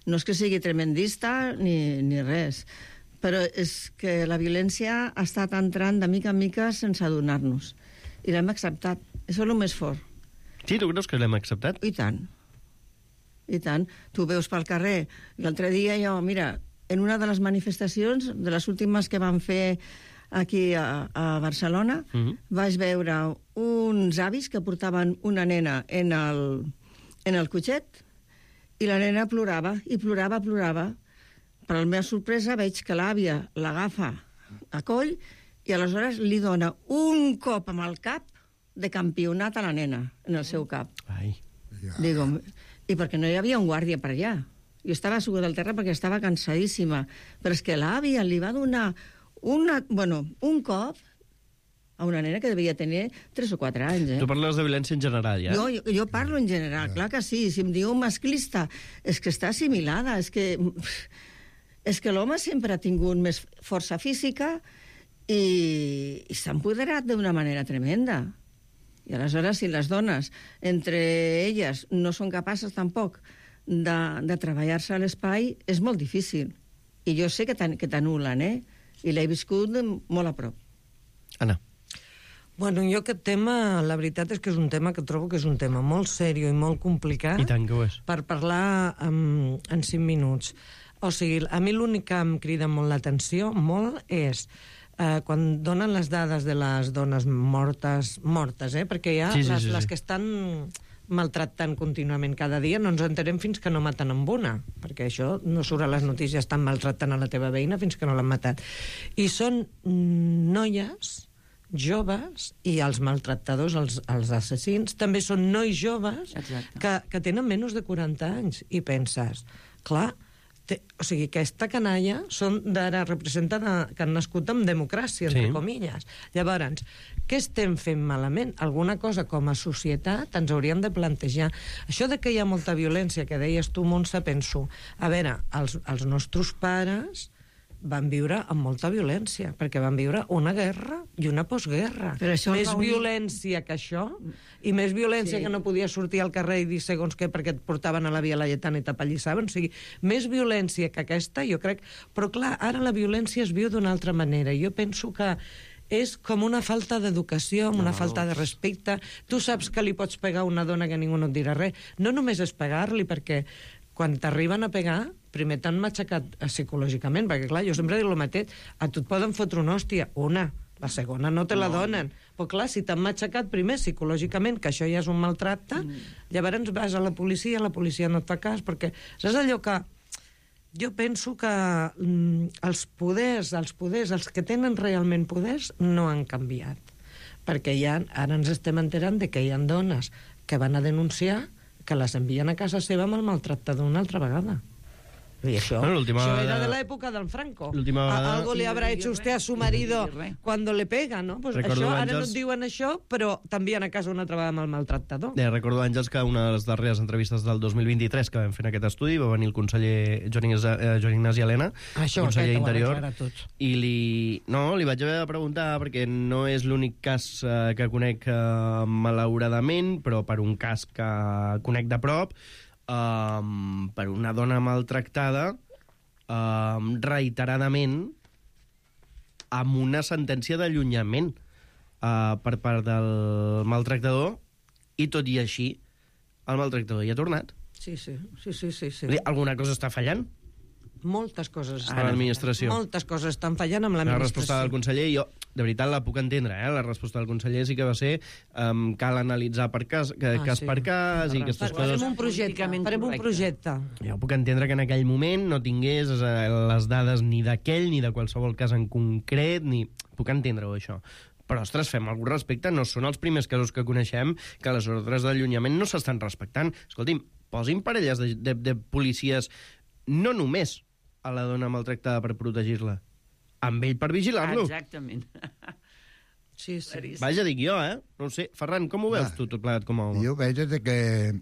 No és que sigui tremendista ni res, però és que la violència ha estat entrant de mica en mica sense adonar-nos. I l'hem acceptat. Això és el més fort. Sí, tu creus que l'hem acceptat? I tant. I tant. Tu veus pel carrer. L'altre dia mira, en una de les manifestacions, de les últimes que van fer aquí a Barcelona, vaig veure uns avis que portaven una nena en el cotxet i la nena plorava, i plorava. Per a la meva sorpresa veig que l'àvia l'agafa a coll i aleshores li dona un cop amb el cap de campionat a la nena, en el seu cap. Ai. Digo, i perquè no hi havia un guàrdia per allà. Jo estava asseguda al terra perquè estava cansadíssima, però és que l'àvia li va donar un cop a una nena que devia tenir 3 o 4 anys. Tu parles de violència en general, ja? Jo parlo en general, clar que sí. Si em diu masclista, és que està assimilada, és que l'home sempre ha tingut més força física i s'ha empoderat d'una manera tremenda. I aleshores, si les dones, entre elles, no són capaces tampoc de treballar-se a l'espai, és molt difícil. I jo sé que t'anulen, I l'he viscut molt a prop. Anna. Bueno, jo aquest tema, la veritat és que és un tema que trobo que és un tema molt seriós i molt complicat. I tant que ho és. Per parlar en 5 minuts. O sigui, a mi l'únic que em crida molt l'atenció, és quan donen les dades de les dones mortes, perquè hi ha les que estan maltractant contínuament cada dia, no ens enterem fins que no maten amb una, perquè això no surt a les notícies, estan maltractant a la teva veïna fins que no l'han matat. I són noies joves, i els maltractadors, els assassins, també són nois joves que tenen menys de 40 anys. I penses, clar, o sigui, aquesta canalla representen que han nascut amb democràcia, entre comilles. Llavors, què estem fent malament? Alguna cosa com a societat ens hauríem de plantejar. Això de que hi ha molta violència, que deies tu, Montse, penso, a veure, els nostres pares van viure amb molta violència, perquè van viure una guerra i una postguerra. Més violència que això, i més violència que no podia sortir al carrer i dir segons què perquè et portaven a la Via Laietana i t'apallissaven. O sigui, més violència que aquesta, jo crec. Però clar, ara la violència es viu d'una altra manera. Jo penso que és com una falta d'educació, una falta de respecte. Tu saps que li pots pegar a una dona que ningú no et dirà res. No només és pegar-li, perquè quan t'arriben a pegar, primer t'han matxacat psicològicament, perquè clar, jo sempre dic el mateix, a tu et poden fotre una hòstia, la segona no te la donen. Però clar, si t'han matxacat primer psicològicament, que això ja és un maltracte, llavors vas a la policia no et fa cas, perquè saps allò que jo penso que els poders, els que tenen realment poders, no han canviat. Perquè ara ens estem enterant de que hi ha dones que van a denunciar que les envien a casa seva amb el maltractador una altra vegada. Y eso era de la época del Franco. Algo le habrá hecho usted a su marido cuando le pega, no? Pues això, ara no et diuen això, però t'envien a casa una altra vegada amb el maltractador. Recordo, Àngels, que una de les darreres entrevistes del 2023 que vam fer en aquest estudi va venir el conseller Joan Ignasi Elena, conseller d'Interior, i li vaig haver de preguntar, perquè no és l'únic cas que conec malauradament, però per un cas que conec de prop, per una dona maltractada reiteradament amb una sentència d'allunyament per part del maltractador, i tot i així el maltractador hi ha tornat. Sí. Alguna cosa està fallant? Moltes coses a l'administració. Moltes coses estan fallant amb l'administració. La resposta del conseller, jo de veritat la puc entendre, la resposta del conseller sí que va ser cal analitzar per cas per cas i aquestes coses. Farem un projecte. Jo puc entendre que en aquell moment no tingués les dades ni d'aquell ni de qualsevol cas en concret, puc entendre-ho, això. Però, ostres, fem algun respecte. No són els primers casos que coneixem que les ordres d'allunyament no s'estan respectant. Escolti'm, posin parelles de policies no només a la dona maltractada per protegir-la, amb ell per vigilar-lo. Exactament. Sí. Vaja, dic jo, No ho sé. Ferran, com ho veus tu, tot plegat com a home? Jo veig que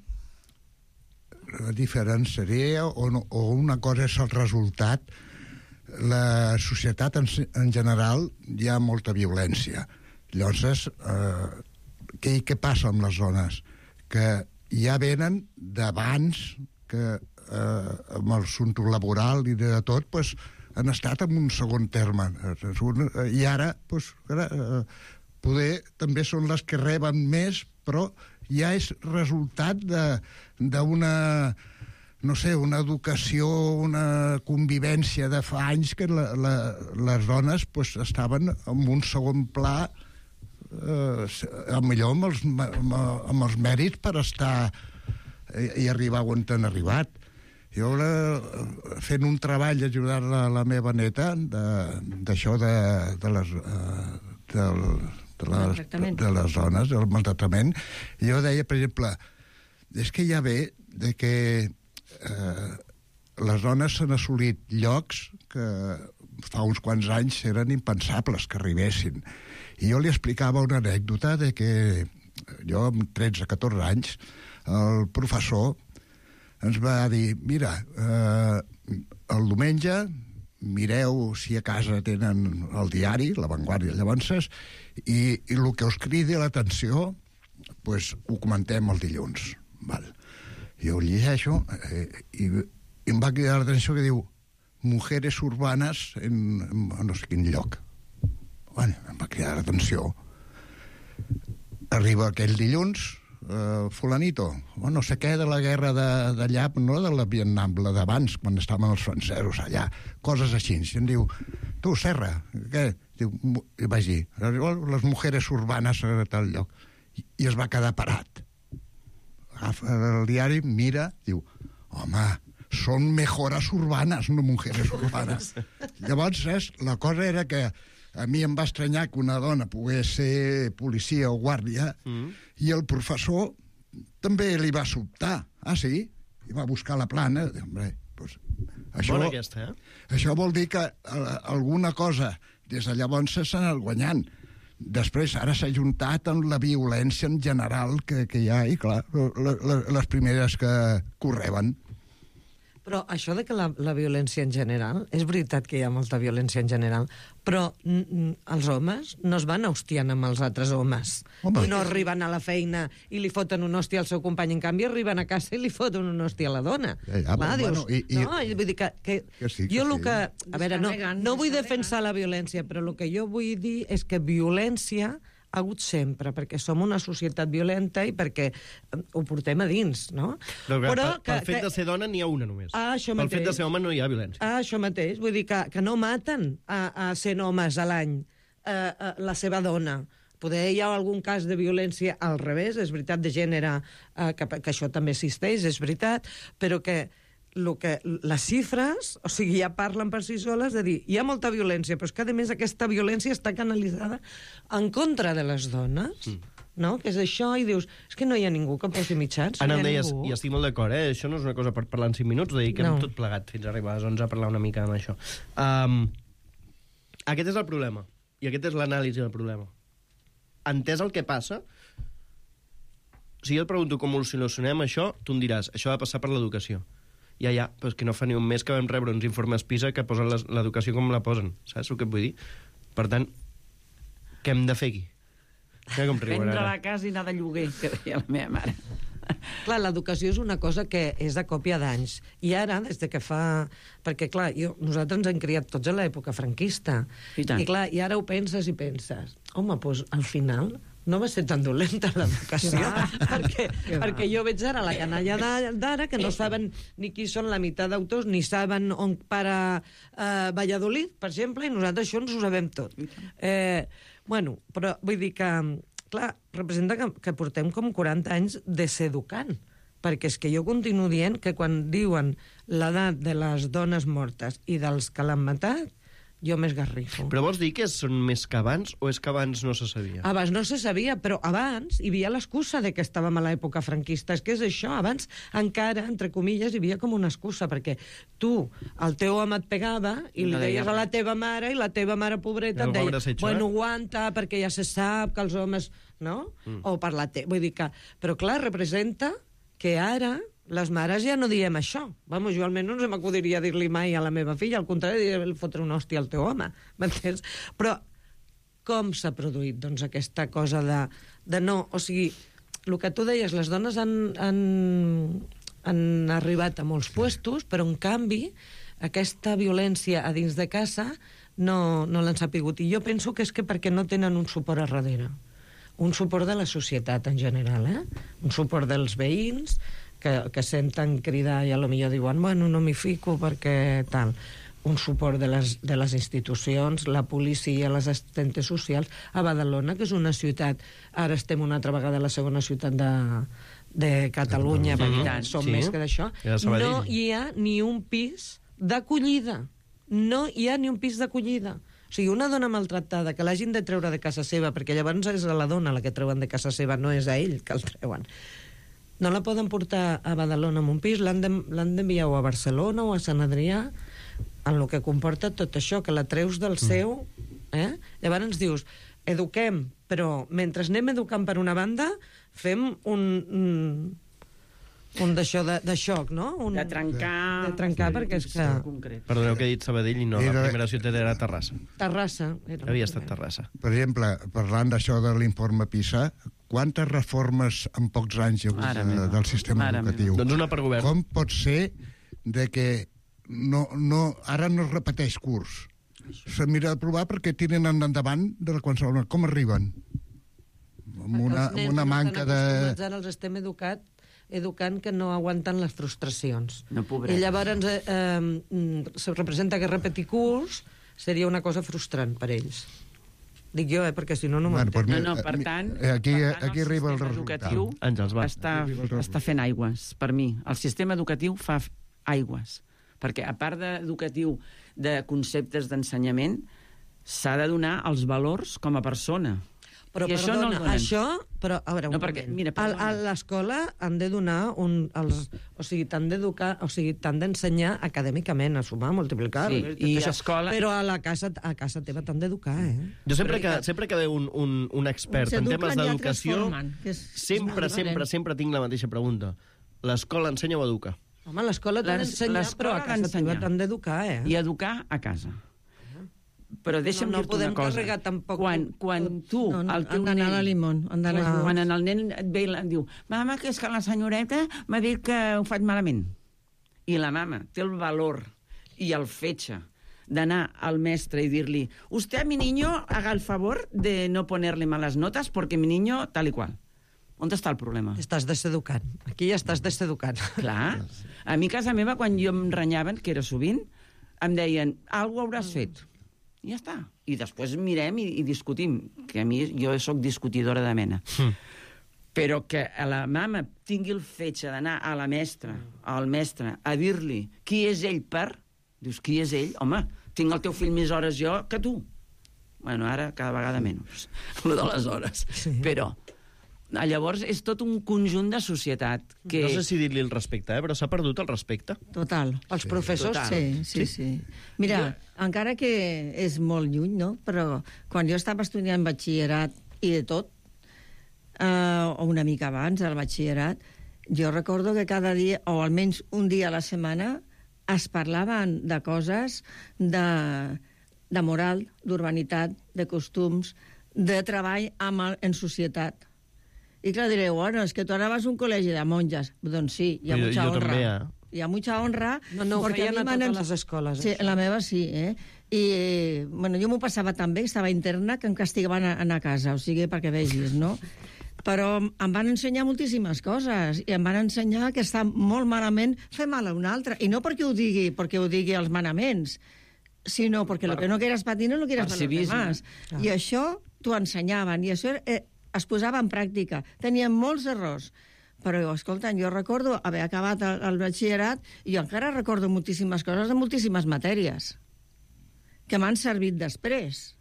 la diferència o una cosa és el resultat. La societat en general hi ha molta violència. Llavors, què passa amb les dones? Que ja venen d'abans que amb el assumpte laboral i de tot, doncs, han estat en un segon terme. I ara, poder també són les que reben més, però ja és resultat d'una no sé, una educació, una convivència de fa anys que les dones pues, estaven en un segon pla, millor amb els mèrits per estar i arribar on han arribat. Jo, fent un treball, ajudar la meva neta d'això de les dones, del maltractament, jo deia, per exemple, és que ja ve de que les dones s'han assolit llocs que fa uns quants anys eren impensables que arribessin. I jo li explicava una anècdota de que jo, amb 13-14 anys, el professor ens va dir, mira, el diumenge mireu si a casa tenen el diari, La Vanguardia, llavors, i el que us cridi l'atenció, pues, ho comentem el dilluns. Val. Jo ho llegeixo i em va cridar l'atenció que diu mujeres urbanes en no sé quin lloc. Bueno, em va cridar l'atenció. Arriba aquell dilluns, fulanito, no sé què de la guerra d'allà, no de la Vietnam, la d'abans, quan estaven els francesos allà, coses així. I em diu, tu, Serra, què? Diu, i vaig dir, les mujeres urbanes a tal lloc. I es va quedar parat. Agafa el diari, mira, diu, home, són mejoras urbanes, no mujeres urbanes. Llavors, la cosa era que a mi em va estranyar que una dona pogués ser policia o guàrdia i el professor també li va sobtar. Ah, sí? I va buscar la plana. Hombre, pues, bona aquesta, Això vol dir que alguna cosa des de llavors s'ha anat guanyant. Després, ara s'ha juntat amb la violència en general que hi ha, i clar, les primeres que correven. Però això de que la violència en general, és veritat que hi ha molta violència en general, però els homes no es van hostiant amb els altres homes. I no arriben a la feina i li foten un hòstia al seu company. En canvi, arriben a casa i li foten un hòstia a la dona. Clar, dius, no, vull dir que jo el que... A veure, no vull defensar la violència, però el que jo vull dir és que violència ha hagut sempre, perquè som una societat violenta i perquè ho portem a dins, no? Però per fet de ser dona n'hi ha una només. Per fet de ser home no hi ha violència. Això mateix, vull dir que no maten a 100 homes a l'any la seva dona. Poder hi ha algun cas de violència al revés, és veritat, de gènere, que això també existeix, és veritat, però que les xifres, o sigui, ja parlen per si soles de dir, hi ha molta violència, però és que, a més, aquesta violència està canalitzada en contra de les dones, no? Que és això, i dius, és que no hi ha ningú que posi mitjans. Anna, em deies, i estic molt d'acord, això no és una cosa per parlar en 5 minuts, dediquem tot plegat fins a arribar a les 11 a parlar una mica amb això. Aquest és el problema, i aquest és l'anàlisi del problema. Entès el que passa, si jo et pregunto com ho solucionem això, tu em diràs, això ha de passar per l'educació. Ja, però és que no fa ni un mes que vam rebre uns informes PISA que posen l'educació com la posen. Saps el que et vull dir? Per tant, què hem de fer aquí? Vendre la casa i anar de lloguer, que deia la meva mare. Clar, l'educació és una cosa que és a còpia d'anys. I ara, des de que fa... Perquè, clar, nosaltres ens hem criat tots a l'època franquista. I clar, i ara ho penses i penses. Home, doncs, al final... no va ser tan dolenta l'educació, perquè jo veig ara la canalla d'ara que no saben ni qui són la meitat d'autors, ni saben on para Valladolid, per exemple, i nosaltres això ens ho sabem tot. Bueno, però vull dir que, clar, representa que portem com 40 anys deseducant, perquè és que jo continuo dient que quan diuen l'edat de les dones mortes i dels que l'han matat, jo m'esgarrifo. Però vols dir que són més que abans o és que abans no se sabia? Abans no se sabia, però abans hi havia l'excusa de que estàvem a l'època franquista. És que és això, abans encara, entre comilles, hi havia com una excusa, perquè tu, el teu home et pegava i li deies a la teva mare, i la teva mare pobreta et deia, bueno, aguanta, perquè ja se sap que els homes... No? O per la vull dir que... Però clar, representa que ara... les mares ja no diem això. Vamos, jo almenys no se m'acudiria dir-li mai a la meva filla, al contrari, diria fotre un hòstia al teu home, m'entens? Però com s'ha produït, doncs, aquesta cosa de no... O sigui, el que tu deies, les dones han arribat a molts puestos, però, en canvi, aquesta violència a dins de casa no l'han sapigut. I jo penso que és que perquè no tenen un suport a darrere. Un suport de la societat, en general, Un suport dels veïns, que senten cridar i a lo millor diuen, bueno, no m'hi fico perquè tal. Un suport de les institucions, la policia, les assistentes socials. A Badalona, que és una ciutat, ara estem una altra vegada a la segona ciutat de Catalunya, perquè som més que d'això, no hi ha ni un pis d'acollida. No hi ha ni un pis d'acollida. O sigui, una dona maltractada que l'hagin de treure de casa seva, perquè llavors és a la dona la que treuen de casa seva, no és a ell que el treuen. No la poden portar a Badalona en un pis, l'han d'enviar o a Barcelona o a Sant Adrià, en el que comporta tot això, que la treus del seu... Llavors ens dius, eduquem, però mentre anem educant per una banda, fem un d'això de xoc, no? De trencar... De trencar, perquè és que... Perdoneu que he dit Sabadell i no, la primera ciutat era Terrassa. Terrassa. Havia estat Terrassa. Per exemple, parlant d'això de l'informe PISA, quantes reformes en pocs anys hi ha hagut del sistema educatiu? Doncs una per govern. Com pot ser de que ara no es repeteix curs? Se mira de provar perquè tiren endavant de qualsevol... Com arriben? Amb una manca de... Ara els estem educant que no aguanten les frustracions. No, pobret. I llavors se representa que repetir curs seria una cosa frustrant per ells. Dic jo, perquè si no, no m'entén. No, per tant, aquí arriba el resultat. Està fent aigües, per mi. El sistema educatiu fa aigües. Perquè, a part educatiu de conceptes d'ensenyament, s'ha de donar els valors com a persona. Però, perdona, però, a veure, a l'escola han de donar o sigui, t'han d'educar, o sigui, t'han d'ensenyar acadèmicament, a sumar, a multiplicar... Sí, i escola... Però a casa teva t'han d'educar, Jo sempre que ve un expert en temes d'educació, sempre tinc la mateixa pregunta. L'escola ensenya o educa? Home, l'escola t'ha d'ensenyar, però a casa teva t'han d'educar, I educar a casa. Però deixa'm dir-te una cosa. Carregar tampoc... Quan tu... Han d'anar a la Limón. Quan el nen et ve i em diu, mama, que és que la senyoreta m'ha dit que ho faig malament. I la mama té el valor i el fetge d'anar al mestre i dir-li, usted a mi niño haga el favor de no ponerle malas notas porque mi niño tal y cual. On està el problema? Estàs deseducant. Aquí ja estàs deseducant. Clar. A mi, a casa meva, quan jo em renyaven, que era sovint, em deien, alguna hauràs fet. I ja està. I després mirem i discutim, que a mi jo sóc discutidora de mena. Però que a la mama tingui el fetge d'anar a la mestra, al mestre, a dir-li qui és ell per... Dius, qui és ell? Home, tinc el teu fill més hores jo que tu. Bueno, ara cada vegada menys, lo de les hores. Sí. Però... Llavors és tot un conjunt de societat que... No sé si dir-li el respecte, però s'ha perdut el respecte. Total. Els professors? Total. Sí. Mira, encara que és molt lluny, no? Però quan jo estava estudiant batxillerat i de tot, o una mica abans del batxillerat, jo recordo que cada dia, o almenys un dia a la setmana, es parlaven de coses de moral, d'urbanitat, de costums, de treball en societat. I clar, direu, bueno, és que tu ara vas a un col·legi de monges. Doncs sí, hi ha mucha honra. També, Hi ha mucha honra. No, ho feien a totes les escoles. Sí, la meva sí, I, bueno, jo m'ho passava tan bé, estava interna, que em castigaven a anar a casa, o sigui, perquè vegis, no? Però em van ensenyar moltíssimes coses, i em van ensenyar que està molt malament fer mal a un altre, i no perquè ho digui els manaments, sinó perquè el que no quieras para ti no lo quieras para los demás. I això t'ho ensenyaven, i això es posava en pràctica. Tenien molts errors, però, escolta, jo recordo haver acabat el batxillerat i jo encara recordo moltíssimes coses de moltíssimes matèries que m'han servit després.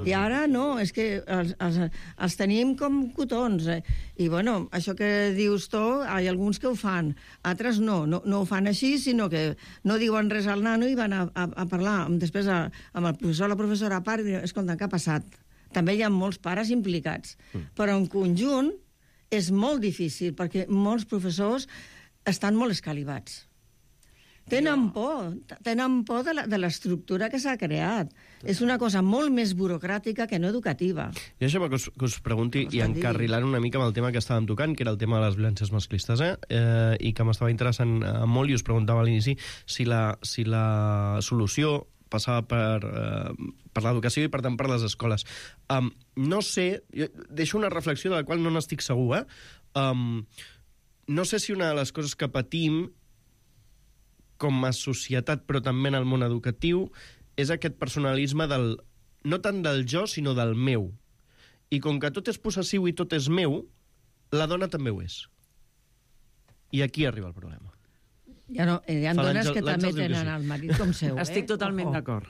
I ara no, és que els tenim com cotons. I, bueno, això que dius tu, hi ha alguns que ho fan, altres no ho fan així, sinó que no diuen res al nano i van a parlar després amb el professor o la professora a part i diuen, escolta, què ha passat? També hi ha molts pares implicats. Però en conjunt és molt difícil, perquè molts professors estan molt escalivats. Tenen por de l'estructura que s'ha creat. És una cosa molt més burocràtica que no educativa. I això que us pregunti, i encarrilant una mica amb el tema que estàvem tocant, que era el tema de les violències masclistes, i que m'estava interessant molt, i us preguntava a l'inici si la solució passava per l'educació i, per tant, per les escoles. No sé, deixo una reflexió de la qual no n'estic segur, no sé si una de les coses que patim com a societat, però també en el món educatiu, és aquest personalisme del, no tant del jo, sinó del meu. I com que tot és possessiu i tot és meu, la dona també ho és. I aquí arriba el problema. Hi ha dones que també tenen el marit com seu. Estic totalment d'acord.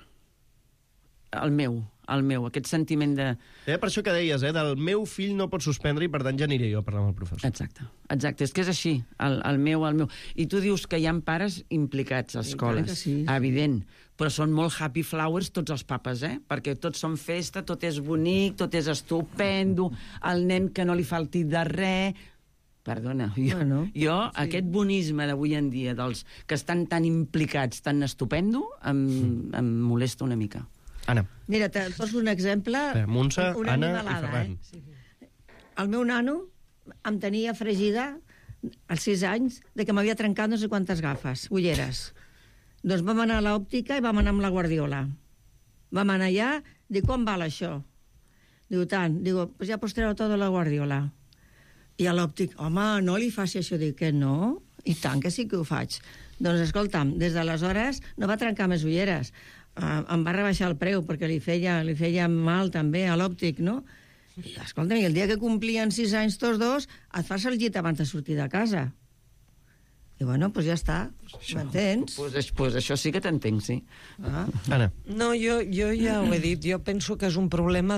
El meu, aquest sentiment de... Per això que deies, del meu fill no pot suspendre i per tant ja aniré jo a parlar amb el professor. Exacte, és que és així, el meu. I tu dius que hi ha pares implicats a escoles, sí. Evident, però són molt happy flowers tots els papes, perquè tots són festa, tot és bonic, tot és estupendo, el nen que no li falti de res... Perdona, jo aquest bonisme d'avui en dia, dels que estan tan implicats, tan estupendo, em molesta una mica. Anna. Mira, te poso un exemple. Montse, Anna i Ferran. El meu nano em tenia fregida als 6 anys de que m'havia trencat no sé quantes gafes, ulleres. Doncs vam anar a l'òptica i vam anar amb la Guardiola. Vam anar allà, dic, quan val això? Diu, tant. Diu, pues ja postreu tot de la Guardiola. I a l'òptic, home, no li faci això. Dic, que no? I tant que sí que ho faig. Doncs, escolta'm, des d'aleshores no va trencar més ulleres. Em va rebaixar el preu perquè li feia mal també a l'òptic, no? I escolta'm, el dia que complien 6 anys tots dos, et fas el llit abans de sortir de casa. I bueno, doncs ja està, m'entens? Doncs això sí que t'entenc, sí. Anna. No, jo ja ho he dit, jo penso que és un problema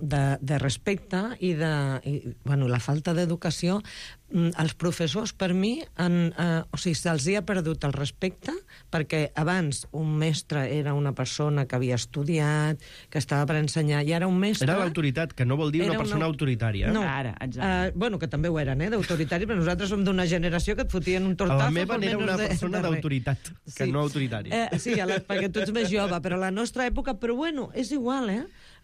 de respecte i la falta d'educació. Els professors, per mi, se'ls ha perdut el respecte, perquè abans un mestre era una persona que havia estudiat, que estava per ensenyar, i ara un mestre... Era l'autoritat, que no vol dir una persona autoritària. No, ara, exacte. Bueno, que també ho eren, d'autoritari, però nosaltres som d'una generació que et fotien un tortazo... A la meva era una persona d'autoritat, que no autoritària. Sí, perquè tu ets més jove, però a la nostra època... Però bueno, és igual,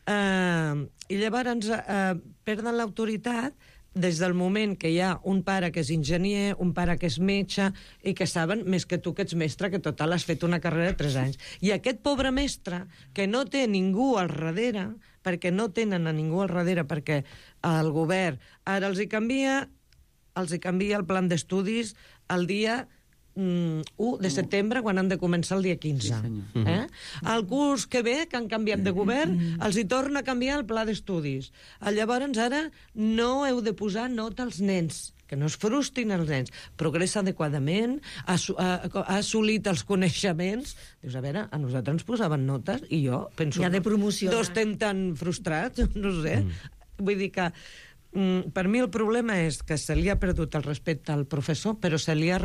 I llavors perden l'autoritat des del moment que hi ha un pare que és enginyer, un pare que és metge, i que saben més que tu que ets mestre, que total has fet una carrera de 3 anys. I aquest pobre mestre, que no té ningú al darrere, perquè no tenen a ningú al darrere, perquè el govern ara els hi canvia el plan d'estudis el dia 1 de setembre, quan han de començar el dia 15. Sí, El curs que ve, que han canviat de govern, els hi torna a canviar el pla d'estudis. Llavors, ara no heu de posar nota als nens, que no es frustrin els nens. Progressa adequadament, ha assolit els coneixements. Dius, a veure, a nosaltres ens posaven notes, i jo penso... Ja de promoció. No estem tan frustrats, no sé. Vull dir que per mi el problema és que se li ha perdut el respecte al professor, però se li ha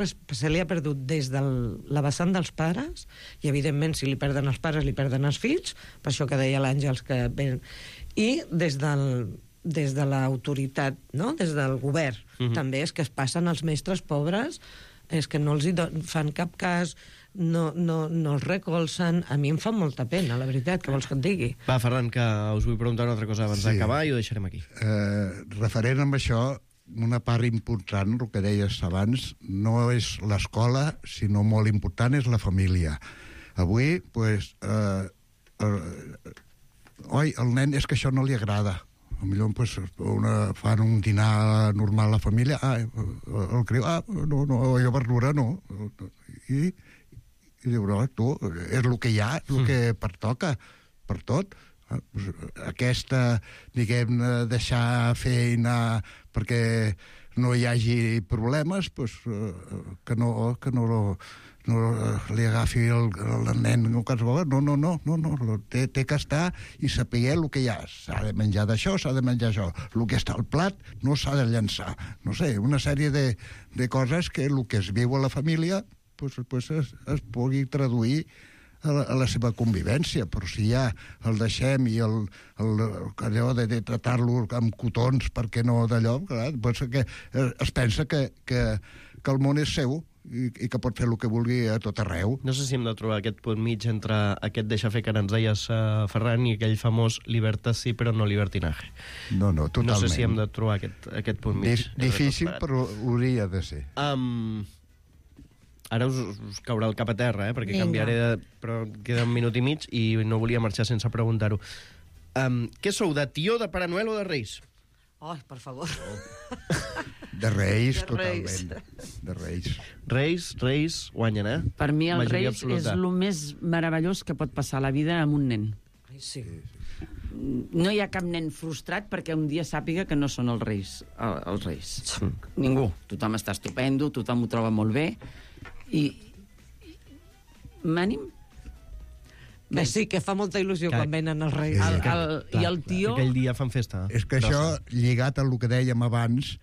perdut des de la vessant dels pares, i evidentment si li perden els pares li perden els fills, per això que deia l'Àngels que ven, i des de l'autoritat, no? Des del govern. També és que es passen els mestres pobres, és que no els fan cap cas, no els recolzen. A mi em fa molta pena, la veritat, que vols que et digui. Va, Ferran, que us vull preguntar una altra cosa abans d'acabar i ho deixarem aquí. Referent amb això, una part important, el que deies abans, no és l'escola, sinó molt important és la família. Avui, doncs, el nen és que això no li agrada. Potser pues, fan un dinar normal a la família, el creu, no, jo verdura no. I diu, no, tu, és el que hi ha, el que pertoca, per tot. Aquesta, diguem, deixar feina perquè no hi hagi problemes, pues, que no li agafi el nen qualsevol. No. Té que estar i saber el que hi ha. S'ha de menjar d'això, s'ha de menjar això. El que està al plat no s'ha de llançar. No sé, una sèrie de coses que el que es viu a la família pues es pugui traduir a la seva convivència, però si ja el deixem i allò de tratar-lo amb cotons perquè no d'allò, doncs que es pensa que el món és seu i que pot fer el que vulgui a tot arreu. No sé si hem de trobar aquest punt mig entre aquest deixar fer que ens deies, Ferran, i aquell famós libertas sí, però no libertinaje. No, totalment. No sé si hem de trobar aquest punt mig. Difícil, però hauria de ser. Ara us caurà el cap a terra, perquè canviaré però queda un minut i mig i no volia marxar sense preguntar-ho. Què sou, de tió, de Pare Noel o de Reis? Ai, per favor. De Reis, totalment. De Reis. Reis guanyen, Per mi el Majoria Reis absoluta. és el més meravellós que pot passar a la vida amb un nen. Ai, sí. No hi ha cap nen frustrat perquè un dia sàpiga que no són els Reis. Els Reis. Ningú. Tothom està estupendo, tothom ho troba molt bé. I m'ànim. Que sí, que fa molta il·lusió quan venen els Reis. I el tio... Aquell dia fan festa. És que això, lligat al que dèiem abans,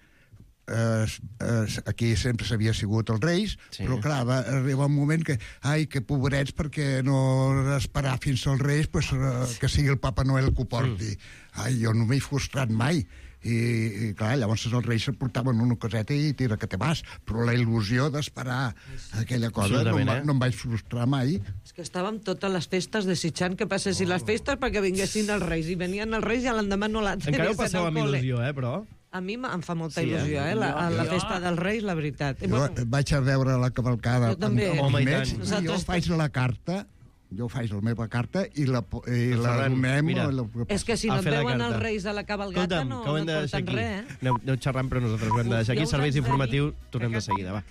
aquí sempre s'havia sigut els Reis, però clar, va arribar un moment que, ai, que pobrets, perquè no esperar fins als Reis, pues, que sigui el Papa Noel que ho porti. Ai, jo no m'he frustrat mai. I clar, llavors els Reis se portaven una coseta i tira que te vas, però la il·lusió d'esperar aquella cosa no em vaig frustrar mai. És que estàvem totes les festes desitjant que passessin les festes perquè vinguessin els Reis, i venien els Reis i l'endemà no la tenies. Encara ho passeu amb il·lusió, però... A mi em fa molta il·lusió, la festa dels Reis, la veritat. Jo vaig a veure la cavalcada amb nets, i jo faig la carta, la meva carta i la donem... És que si no et veuen els Reis a la cavalgata no et porten res. Aneu xerrant, però nosaltres ho hem de deixar aquí. Serveis informatius, tornem de seguida, va.